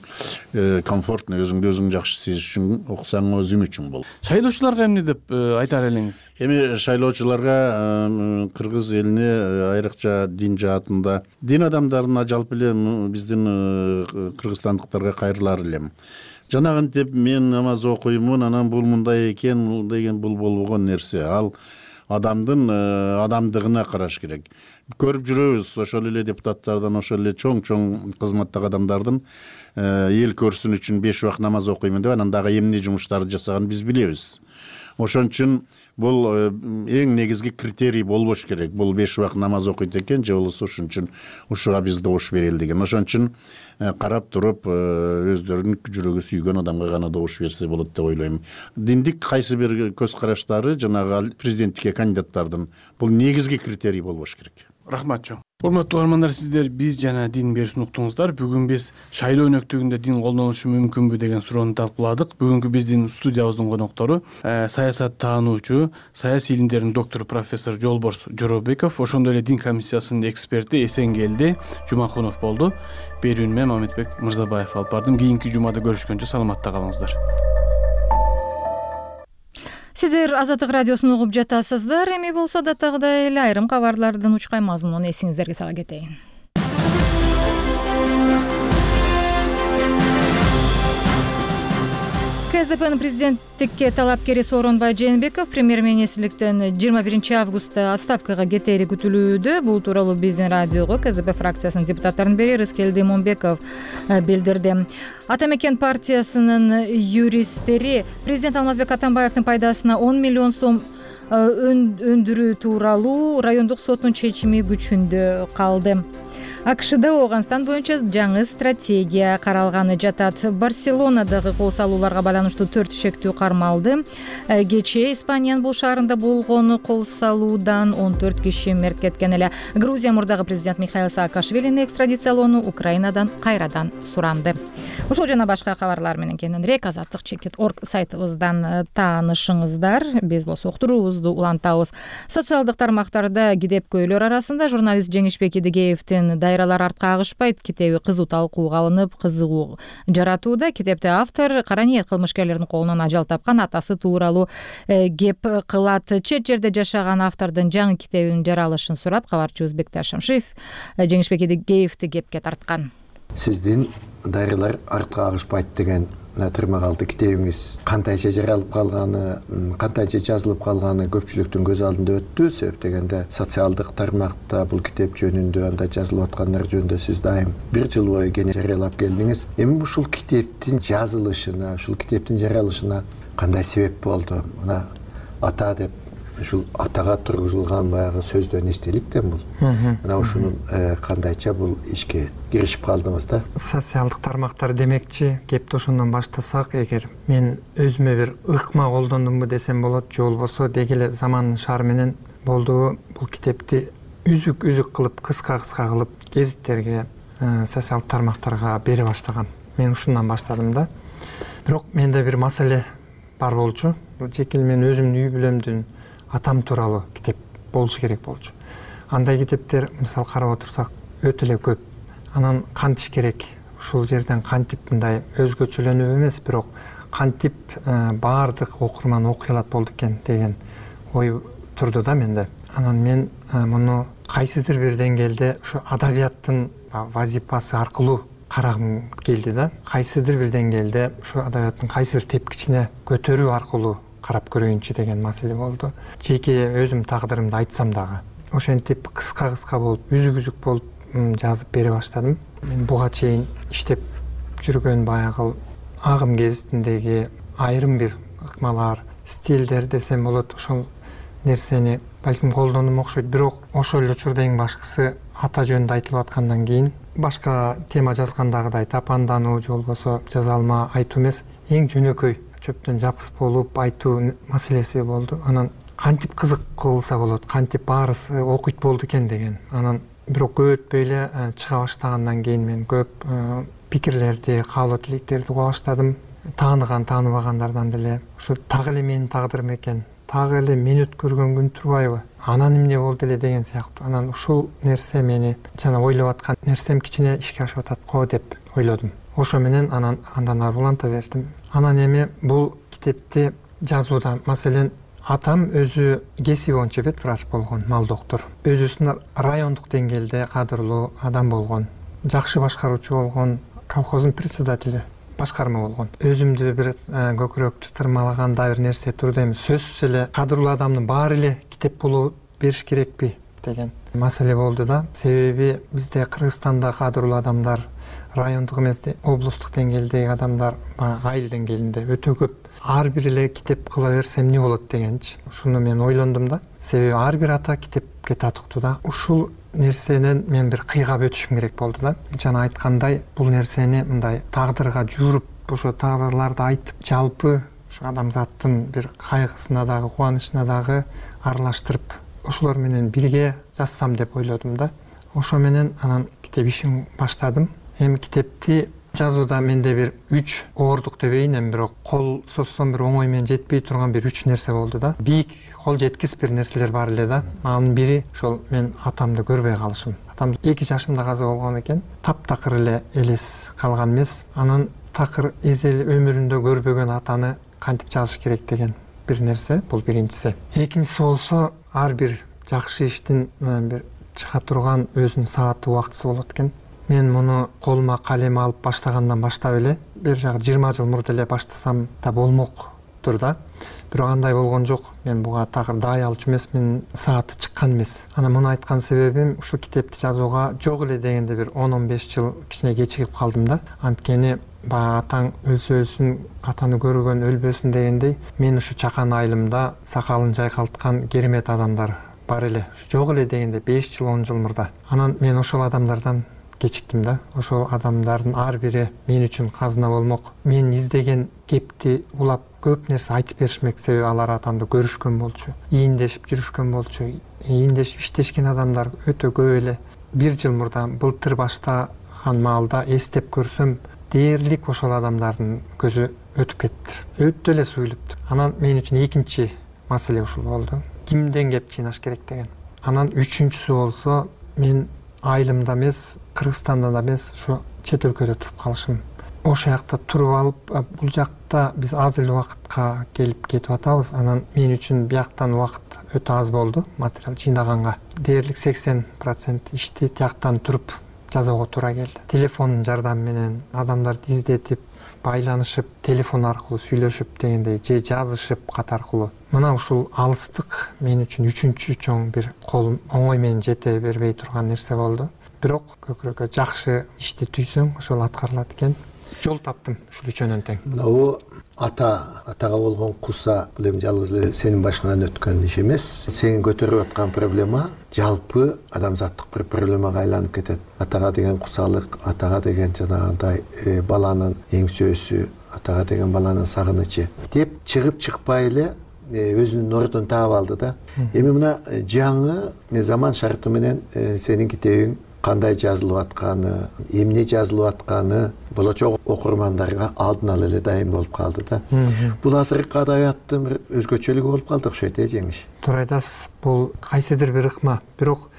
[SPEAKER 4] комфортно, өзүңдү өзүң жакшы сезиш үчүн окусаң өзүң үчүн бул.
[SPEAKER 6] Шайлоочуларга эмне деп айтар элеңиз?
[SPEAKER 4] Эми шайлоочуларга кыргыз элине айрыкча дин жаатында, дин адамдарына жалпы эле биздин кыргызстандыктарга кайрылар элем. Жанагынтип мен намаз окуймун, анан бул мындай экен деген бул болбогон нерсе. Ал адамдын адамдыгына караш керек. Көрүп жүрөбүз ошол эле депутаттардан, ошол эле чоң кызматтагы адамдардын эл көрсүн үчүн 5 убакыт намаз окуймун деп анан дагы эмне жумуштарды жасаганын биз билебиз. Ошон үчүн бул эң негизги критерий болбош керек. Бул 5 убакыт намаз окуйт экен же болбосо ошон үчүн ушуга биз добуш берели деген. Ошон үчүн карап туруп өздөрүнүн жүрөгү сүйгөн адамга гана добуш берсе болот деп ойлойм. Диндик кайсы бир көз караштары жанагы президенттикке кандидаттардын бул негизги критерий болбош керек.
[SPEAKER 6] Рахмат чоң. Урматтуу угармандар, сиздер биз жана дин берүүсүн уктуңуздар. Бүгүн биз шайлоо өнөктүгүндө дин колдонулушу мүмкүнбү деген суроону талкууладык. Бүгүнкү биздин студиябыздын коноктору саясат таануучу, саясий илимдердин доктору профессор Жолборс Жоробеков, ошондой эле дин комиссиясынын эксперти Эсенгелди Жумакунов болду. Берүүнү мен Мамедбек Мырзабаев алып бардым. Кийинки жумада көрүшкөнчө саламатта калыңыздар.
[SPEAKER 1] Сиздер Азаттык радиосун угуп жатасыздар. Эми болсо датагдагы эле айрым кабарлардын учкай мазмунун эсиңиздерге сала кетейин. КСДПнын президенттикке талапкери Сооронбай Жээнбеков премьер-министрликтен 21 августта отставкага кетери күтүлүүдө. Бул тууралуу биздин радиого КСДП фракциясынын депутаттарынын бири Рыскелди Момбеков билдирди. Ата мекен партиясынын юристтери президент Алмазбек Атамбаевдин пайдасына 10 миллион сом өндүрүү тууралуу райондук соттун чечими күчүндө калды. АКШда Ооганстан боюнча жаңы стратегия каралганы жатат. Барселонадагы кол салууларга байланыштуу 4 шектүү кармалды. Кечээ Испаниянын бул шаарында болгон кол салуудан 14 киши мерт кеткен эле. Грузия мурдагы президент Михаил Саакашвилини экстрадициялоону Украинадан кайрадан суранды. Ушул жана башка кабарлар менен кененирээк azatlyk.org сайтыбыздан таанышыңыздар. Биз болсо уктуруубузду улантабыз. Социалдык тармактарда китепкөйлөр арасында журналист Жеңишбек Идигеевдин «Дайралар артка агышпайт» китеби кызуу талкууга алынып, кызыгуу жаратууда. Китепте автор кара ниет кылмышкерлердин колунан ажал тапкан атасы тууралуу кеп кылат. Чет жерде жашаган автордун жаңы китебинин жаралышын сурап, кабарчыбыз Бекташ Шамшиев Жеңишбек Идигеевди кепке тарткан.
[SPEAKER 9] Сиздин «Дайралар артка агышпайт» деген тырмагалды китебиңиз кантайча жаралып калганы, кантайча жазылып калганы көпчүлүктүн көз алдында өттү. Себеп дегенде социалдык тармакта бул китеп жөнүндө, анда жазылып аткандар жөнүндө сиз дайым 1 жыл бою кеңеш жарыялап келдиңиз. Эми ушул китептин жазылышына, ушул китептин жаралышына кандай себеп болду? Мына ата деп ушул атага тургузулган баягы сөздөн эстеликтен бул. Мына ушунун кандайча бул ишке киришип калдыңыз да?
[SPEAKER 11] Социалдык тармактар демекчи, кепти ошондон баштасак, эгер мен өзүмө бир ыкма колдондумбу десем болот, же болбосо деги эле замандын шаары менен болду. Бул китепти үзүк кылып, кыска кылып гезиттерге, социалдык тармактарга бере баштагам. Мен ушундан баштадым да. Бирок менде бир маселе бар болчу. Жеке мен өзүмдүн үй бүлөмдүн атам тууралуу китеп болушу керек болчу. Андай китептер, мисалы карап отурсак, өтө эле көп. Анан кантиш керек? Ушул жерден кантип мындай өзгөчөлөнүп эмес, бирок кантип баардык окурман окуй алат болду экен деген ой турду да менде. Анан мен муну кайсыдыр бир деңгээлде ушу адабияттын вазипасы аркылуу карагым келди да. Кайсыдыр бир деңгээлде ушу адабияттын кайсы бир тепкичине көтөрүү аркылуу карап көрөйүнчү деген маселе болду. Жеке өзүм тагдырымды айтсам дагы ошентип кыска болуп, үзүк болуп жазып бере баштадым. Мен буга чейин иштеп жүргөн баягы агым гезитиндеги айрым бир ыкмалар, стилдер десем болот, ошол нерсени балким колдондум окшойт. Бирок ошол эле учурда эң башкысы ата жөнүндө айтылып аткандан кийин башка тема жазгандагыдай тапандануу же болбосо жаза алма айтуу эмес, эң жөнөкөй чөптөн жапыс болуп айтуу маселеси болду. Анан кантип кызык кылса болот, кантип баарысы окуйт болду экен деген. Анан бирок көп өтпөй эле чыга баштагандан кийин мен көп пикирлерди, каалоо тилектерди уга баштадым. Тааныган, тааныбагандардан деле ушу так эле менин тагдырым экен, так эле мен өткөргөн күн турбайбы, анан эмне болду эле деген сыяктуу. Анан ушул нерсе мени жана ойлоп аткан нерсем кичине ишке ашып атат го деп ойлодум. Ошо менен андан ары уланта бердим. Анан эми бул китепти жазууда, маселен, атам өзү кесиби боюнча ветврач болгон, мал доктор. Өзүсүн райондук деңгээлде кадырлуу адам болгон, жакшы башкаруучу болгон, колхоздун председатели. башкарма болгон. Өзүмдү бир көкүрөктү тырмалагандай бир нерсе турду эми. Сөзсүз эле кадырлуу адамдын баары эле китеп болуп бериш керекпи деген маселе болду да. Себеби бизде Кыргызстанда кадырлуу адамдар райондук эмес, облустук деңгээлдеги адамдар айыл деңгээлинде өтө көп. Ар бир эле китеп кыла берсе эмне болот дегенчи. Ушуну мен ойлондум да. Себеби ар бир ата китепке татыктуу да. Ушул нерсенен мен бир кыйгап өтүшүм керек болду да. Жана айткандай, бул нерсени мындай тагдырга жууруп, ошо тагдырларды айтып, жалпы ушу адамзаттын бир кайгысына дагы, кубанычына дагы аралаштырып, ошолор менен бирге жазсам деп ойлодум да. Ошо менен анан китеп ишин баштадым. Эми китепти жазууда менде бир 3 оордук дебейин, эми бирок кол созсом бир оңой менен жетпей турган бир 3 нерсе болду да. Бийик кол жеткис бир нерселер бар эле да. Анын бири ошол мен атамды көрбөй калышым. Атам 2 жашымда каза болгон экен. Таптакыр эле элес калган эмес. Анан такыр эзел өмүрүндө көрбөгөн атаны кантип жазыш керек деген бир нерсе. Бул биринчиси. Экинчиси болсо, ар бир жакшы иштин бир чыга турган өзүнүн сааты убактысы болот экен. Мен муну колума калем алып баштагандан баштап эле, бир жагы 20 жыл мурда эле баштасам да болмоктур да. Бирок андай болгон жок. Мен буга такыр дай алчу эмес, мен сааты чыккан эмес. Анан муну айткан себебим, ушул китепти жазууга жок эле дегенде бир 10-15 жыл кичине кечигип калдым да. Анткени баягы атаң өлсө өлсүн, атаны көргөн өлбөсүн дегендей, мен ушу чакан айылымда сакалын жайкалткан керемет адамдар бар эле. Жок эле дегенде 5 жыл, 10 жыл мурда. Анан мен ошол адамдардан кечиктим да. Ошол адамдардын ар бири мен үчүн казына болмок. Мен издеген кепти улап көп нерсе айтып беришмек, себеби алар атамды көрүшкөн болчу, ийиндешип жүрүшкөн болчу. Ийиндешип иштешкен адамдар өтө көп эле. 1 жыл мурда былтыр баштаган маалда эстеп көрсөм, дээрлик ошол адамдардын көзү өтүп кетти. Өтө эле суюлуптур. Анан мен үчүн экинчи маселе ушул болду. Кимден кеп чыйнаш керек деген. Анан үчүнчүсү болсо, мен айылымда эмес, Кыргызстанда да эмес, ушу чет өлкөдө туруп калышым. Ошол жакта туруп алып, бул жакта биз аз эле убакытка келип кетип атабыз. Анан мен үчүн бияктан убакыт өтө аз болду материал жыйнаганга. Дээрлик 80% ишти тияктан туруп жазууга туура келди. Телефондун жардамы менен адамдарды издетип, байланышып, телефон аркылуу сүйлөшүп дегендей, же жазышып кат аркылуу. Мына ушул алыстык мен үчүн үчүнчү чоң бир кол оңой менен жете бербей турган нерсе болду. Бирок көкүрөккө жакшы ишти түйсөң, ошол аткарылат экен. Жол таптым ушул үчөөнөн тең.
[SPEAKER 9] Мына атага болгон куса, бул эми жалгыз эле сенин башыңан өткөн иш эмес. Сен көтөрүп аткан проблема жалпы адамзаттык бир проблемага айланып кетет. Атага деген кусалык, атага деген жанагындай баланын эңсөөсү, атага деген баланын сагынычы деп чыгып чыкпай эле өзүнүн ордун таап алды да. Эми мына жаңы заман шарты менен сенин китебиң кандай жазылып атканы, эмне жазылып атканы болочок окурмандарга алдын ала эле дайым болуп калды да. Бул азыркы адабияттын бир өзгөчөлүгү болуп калды окшойт, жеңиш.
[SPEAKER 11] Туура айтасыз. Бул кайсыдыр бир ыкма. Бирок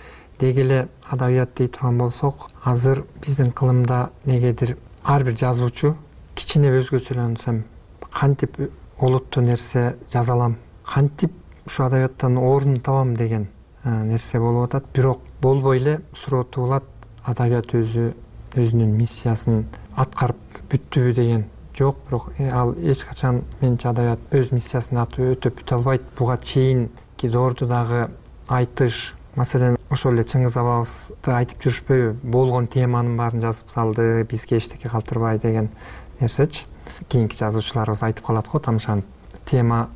[SPEAKER 11] деги эле адабият дей турган болсок, азыр биздин кылымда негедир ар бир жазуучу кичине өзгөчөлөнсөм, кантип олуттуу нерсе жаза алам, кантип ушу адабияттан орун табам деген нерсе болуп атат. Бирок болбой эле суроо туулат, адабият өзүнүн миссиясын аткарып бүттүбү деген жок. Бирок ал эч качан менчи адабият өз миссиясын өтөп бүтө албайт. Буга чейинки доорду дагы айтыш, маселен ошол эле Чыңгыз абабызды айтып жүрүшпөйбү? Болгон теманын баарын жазып салды, бизге эчтеке калтырбай деген нерсечи. Кийинки жазуучуларыбыз айтып калат го, тамшанып. Тема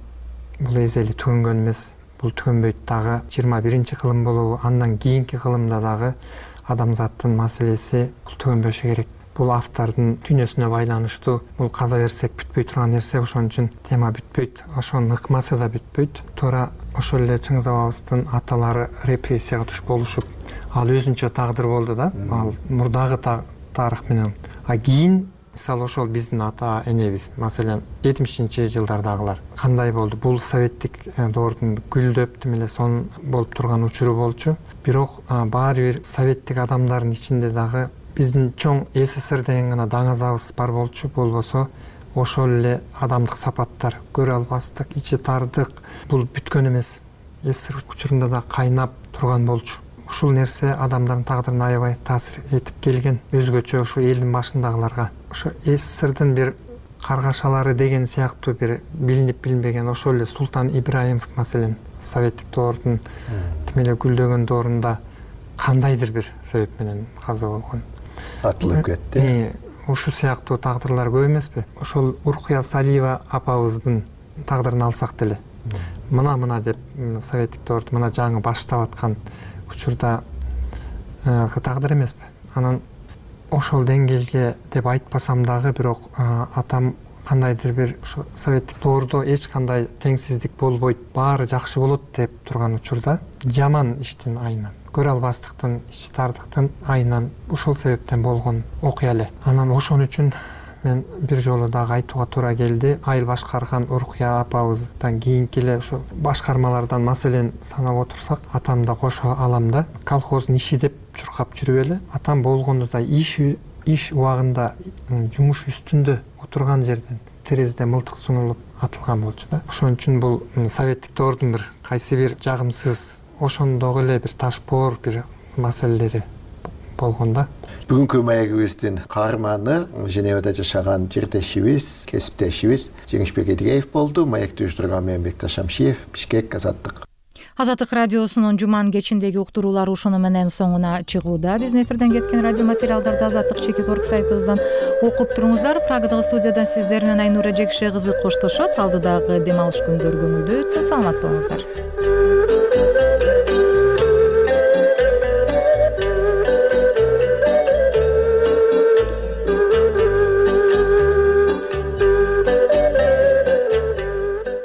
[SPEAKER 11] бул эзели түгөнгөн эмес, бул түгөнбөйт дагы. 21-чи кылым болобу, андан кийинки кылымда дагы адамзаттын маселеси бул түгөнбөшү керек. Бул автордун дүйнөсүнө байланыштуу. Бул каза берсек бүтпөй турган нерсе, ошон үчүн тема бүтпөйт. Ошонун ыкмасы да бүтпөйт. Туура ошол эле Чыңгыз абабыздын аталары репрессияга түшүп болушуп, ал өзүнчө тагдыр болду да. Ал мурдагы тарых менен. Кийин мисалы ошол биздин ата энебиз, маселен 70-жылдардагылар кандай болду? Бул советтик доордун гүлдөп тим эле сон болуп турган учуру болчу. Бирок баары бир советтик адамдардын ичинде дагы биздин чоң СССР деген гана даңазабыз бар болчу. Болбосо ошол эле адамдык сапаттар, көрө албастык, ичи тардык бул бүткөн эмес. СССР учурунда да кайнап турган болчу. ушул нерсе адамдардын тагдырына аябай таасир этип келген. Өзгөчө ушу элдин башындагыларга ошо СССРдин бир каргашалары деген сыяктуу бир билинип билинбеген ошол эле Султан Ибраимов маселен советтик доордун тим эле гүлдөгөн доорунда кандайдыр бир себеп менен каза болгон,
[SPEAKER 9] атылып кетти.
[SPEAKER 11] Ушу сыяктуу тагдырлар көп эмеспи? Ошол Уркуя Салиева апабыздын тагдырын алсак деле мына деп советтик доорду мына жаңы баштап аткан учурда тагдыр эмеспи? Анан ошол деңгээлге деп айтпасам дагы бирок атам кандайдыр бир ошо советтик доордо эч кандай теңсиздик болбойт, баары жакшы болот деп турган учурда жаман иштин айынан, көрө албастыктын, ич тардыктын айынан ушул себептен болгон окуя эле. Анан ошон үчүн мен бир жолу дагы айтууга туура келди. Айыл башкарган Уркуя апабыздан кийинки эле ошо башкармалардан маселен санап отурсак, атам да кошо аламда колхоздун иши деп чуркап жүрүп эле атам болгондо да иш убагында жумуш үстүндө отурган жерден терезеде мылтык сунулуп атылган болчу да. Ошон үчүн бул советтик доордун бир кайсы бир жагымсыз, ошондогу эле бир ташпоор бир маселелери болгон да.
[SPEAKER 9] Бүгүнкү маегибиздин каарманы Женевада жашаган жирдешибиз, кесиптешибиз Жеңишбек Эдигеев болду. Маекти уюштурган мен Бекташ Амшиев, Бишкек, Азаттык.
[SPEAKER 1] Азаттык радиосунун жуманын кечиндеги уктуруулары ушуну менен соңуна чыгууда. Биздин эфирден кеткен радио материалдарды Азаттык.org сайтыбыздан окуп туруңуздар. Прагадагы студиядан сиздер менен Айнура Жекше кызы коштошот. Алдыдагы дем алыш күндөрү көңүлдүү өтсүн. Саламат болуңуздар.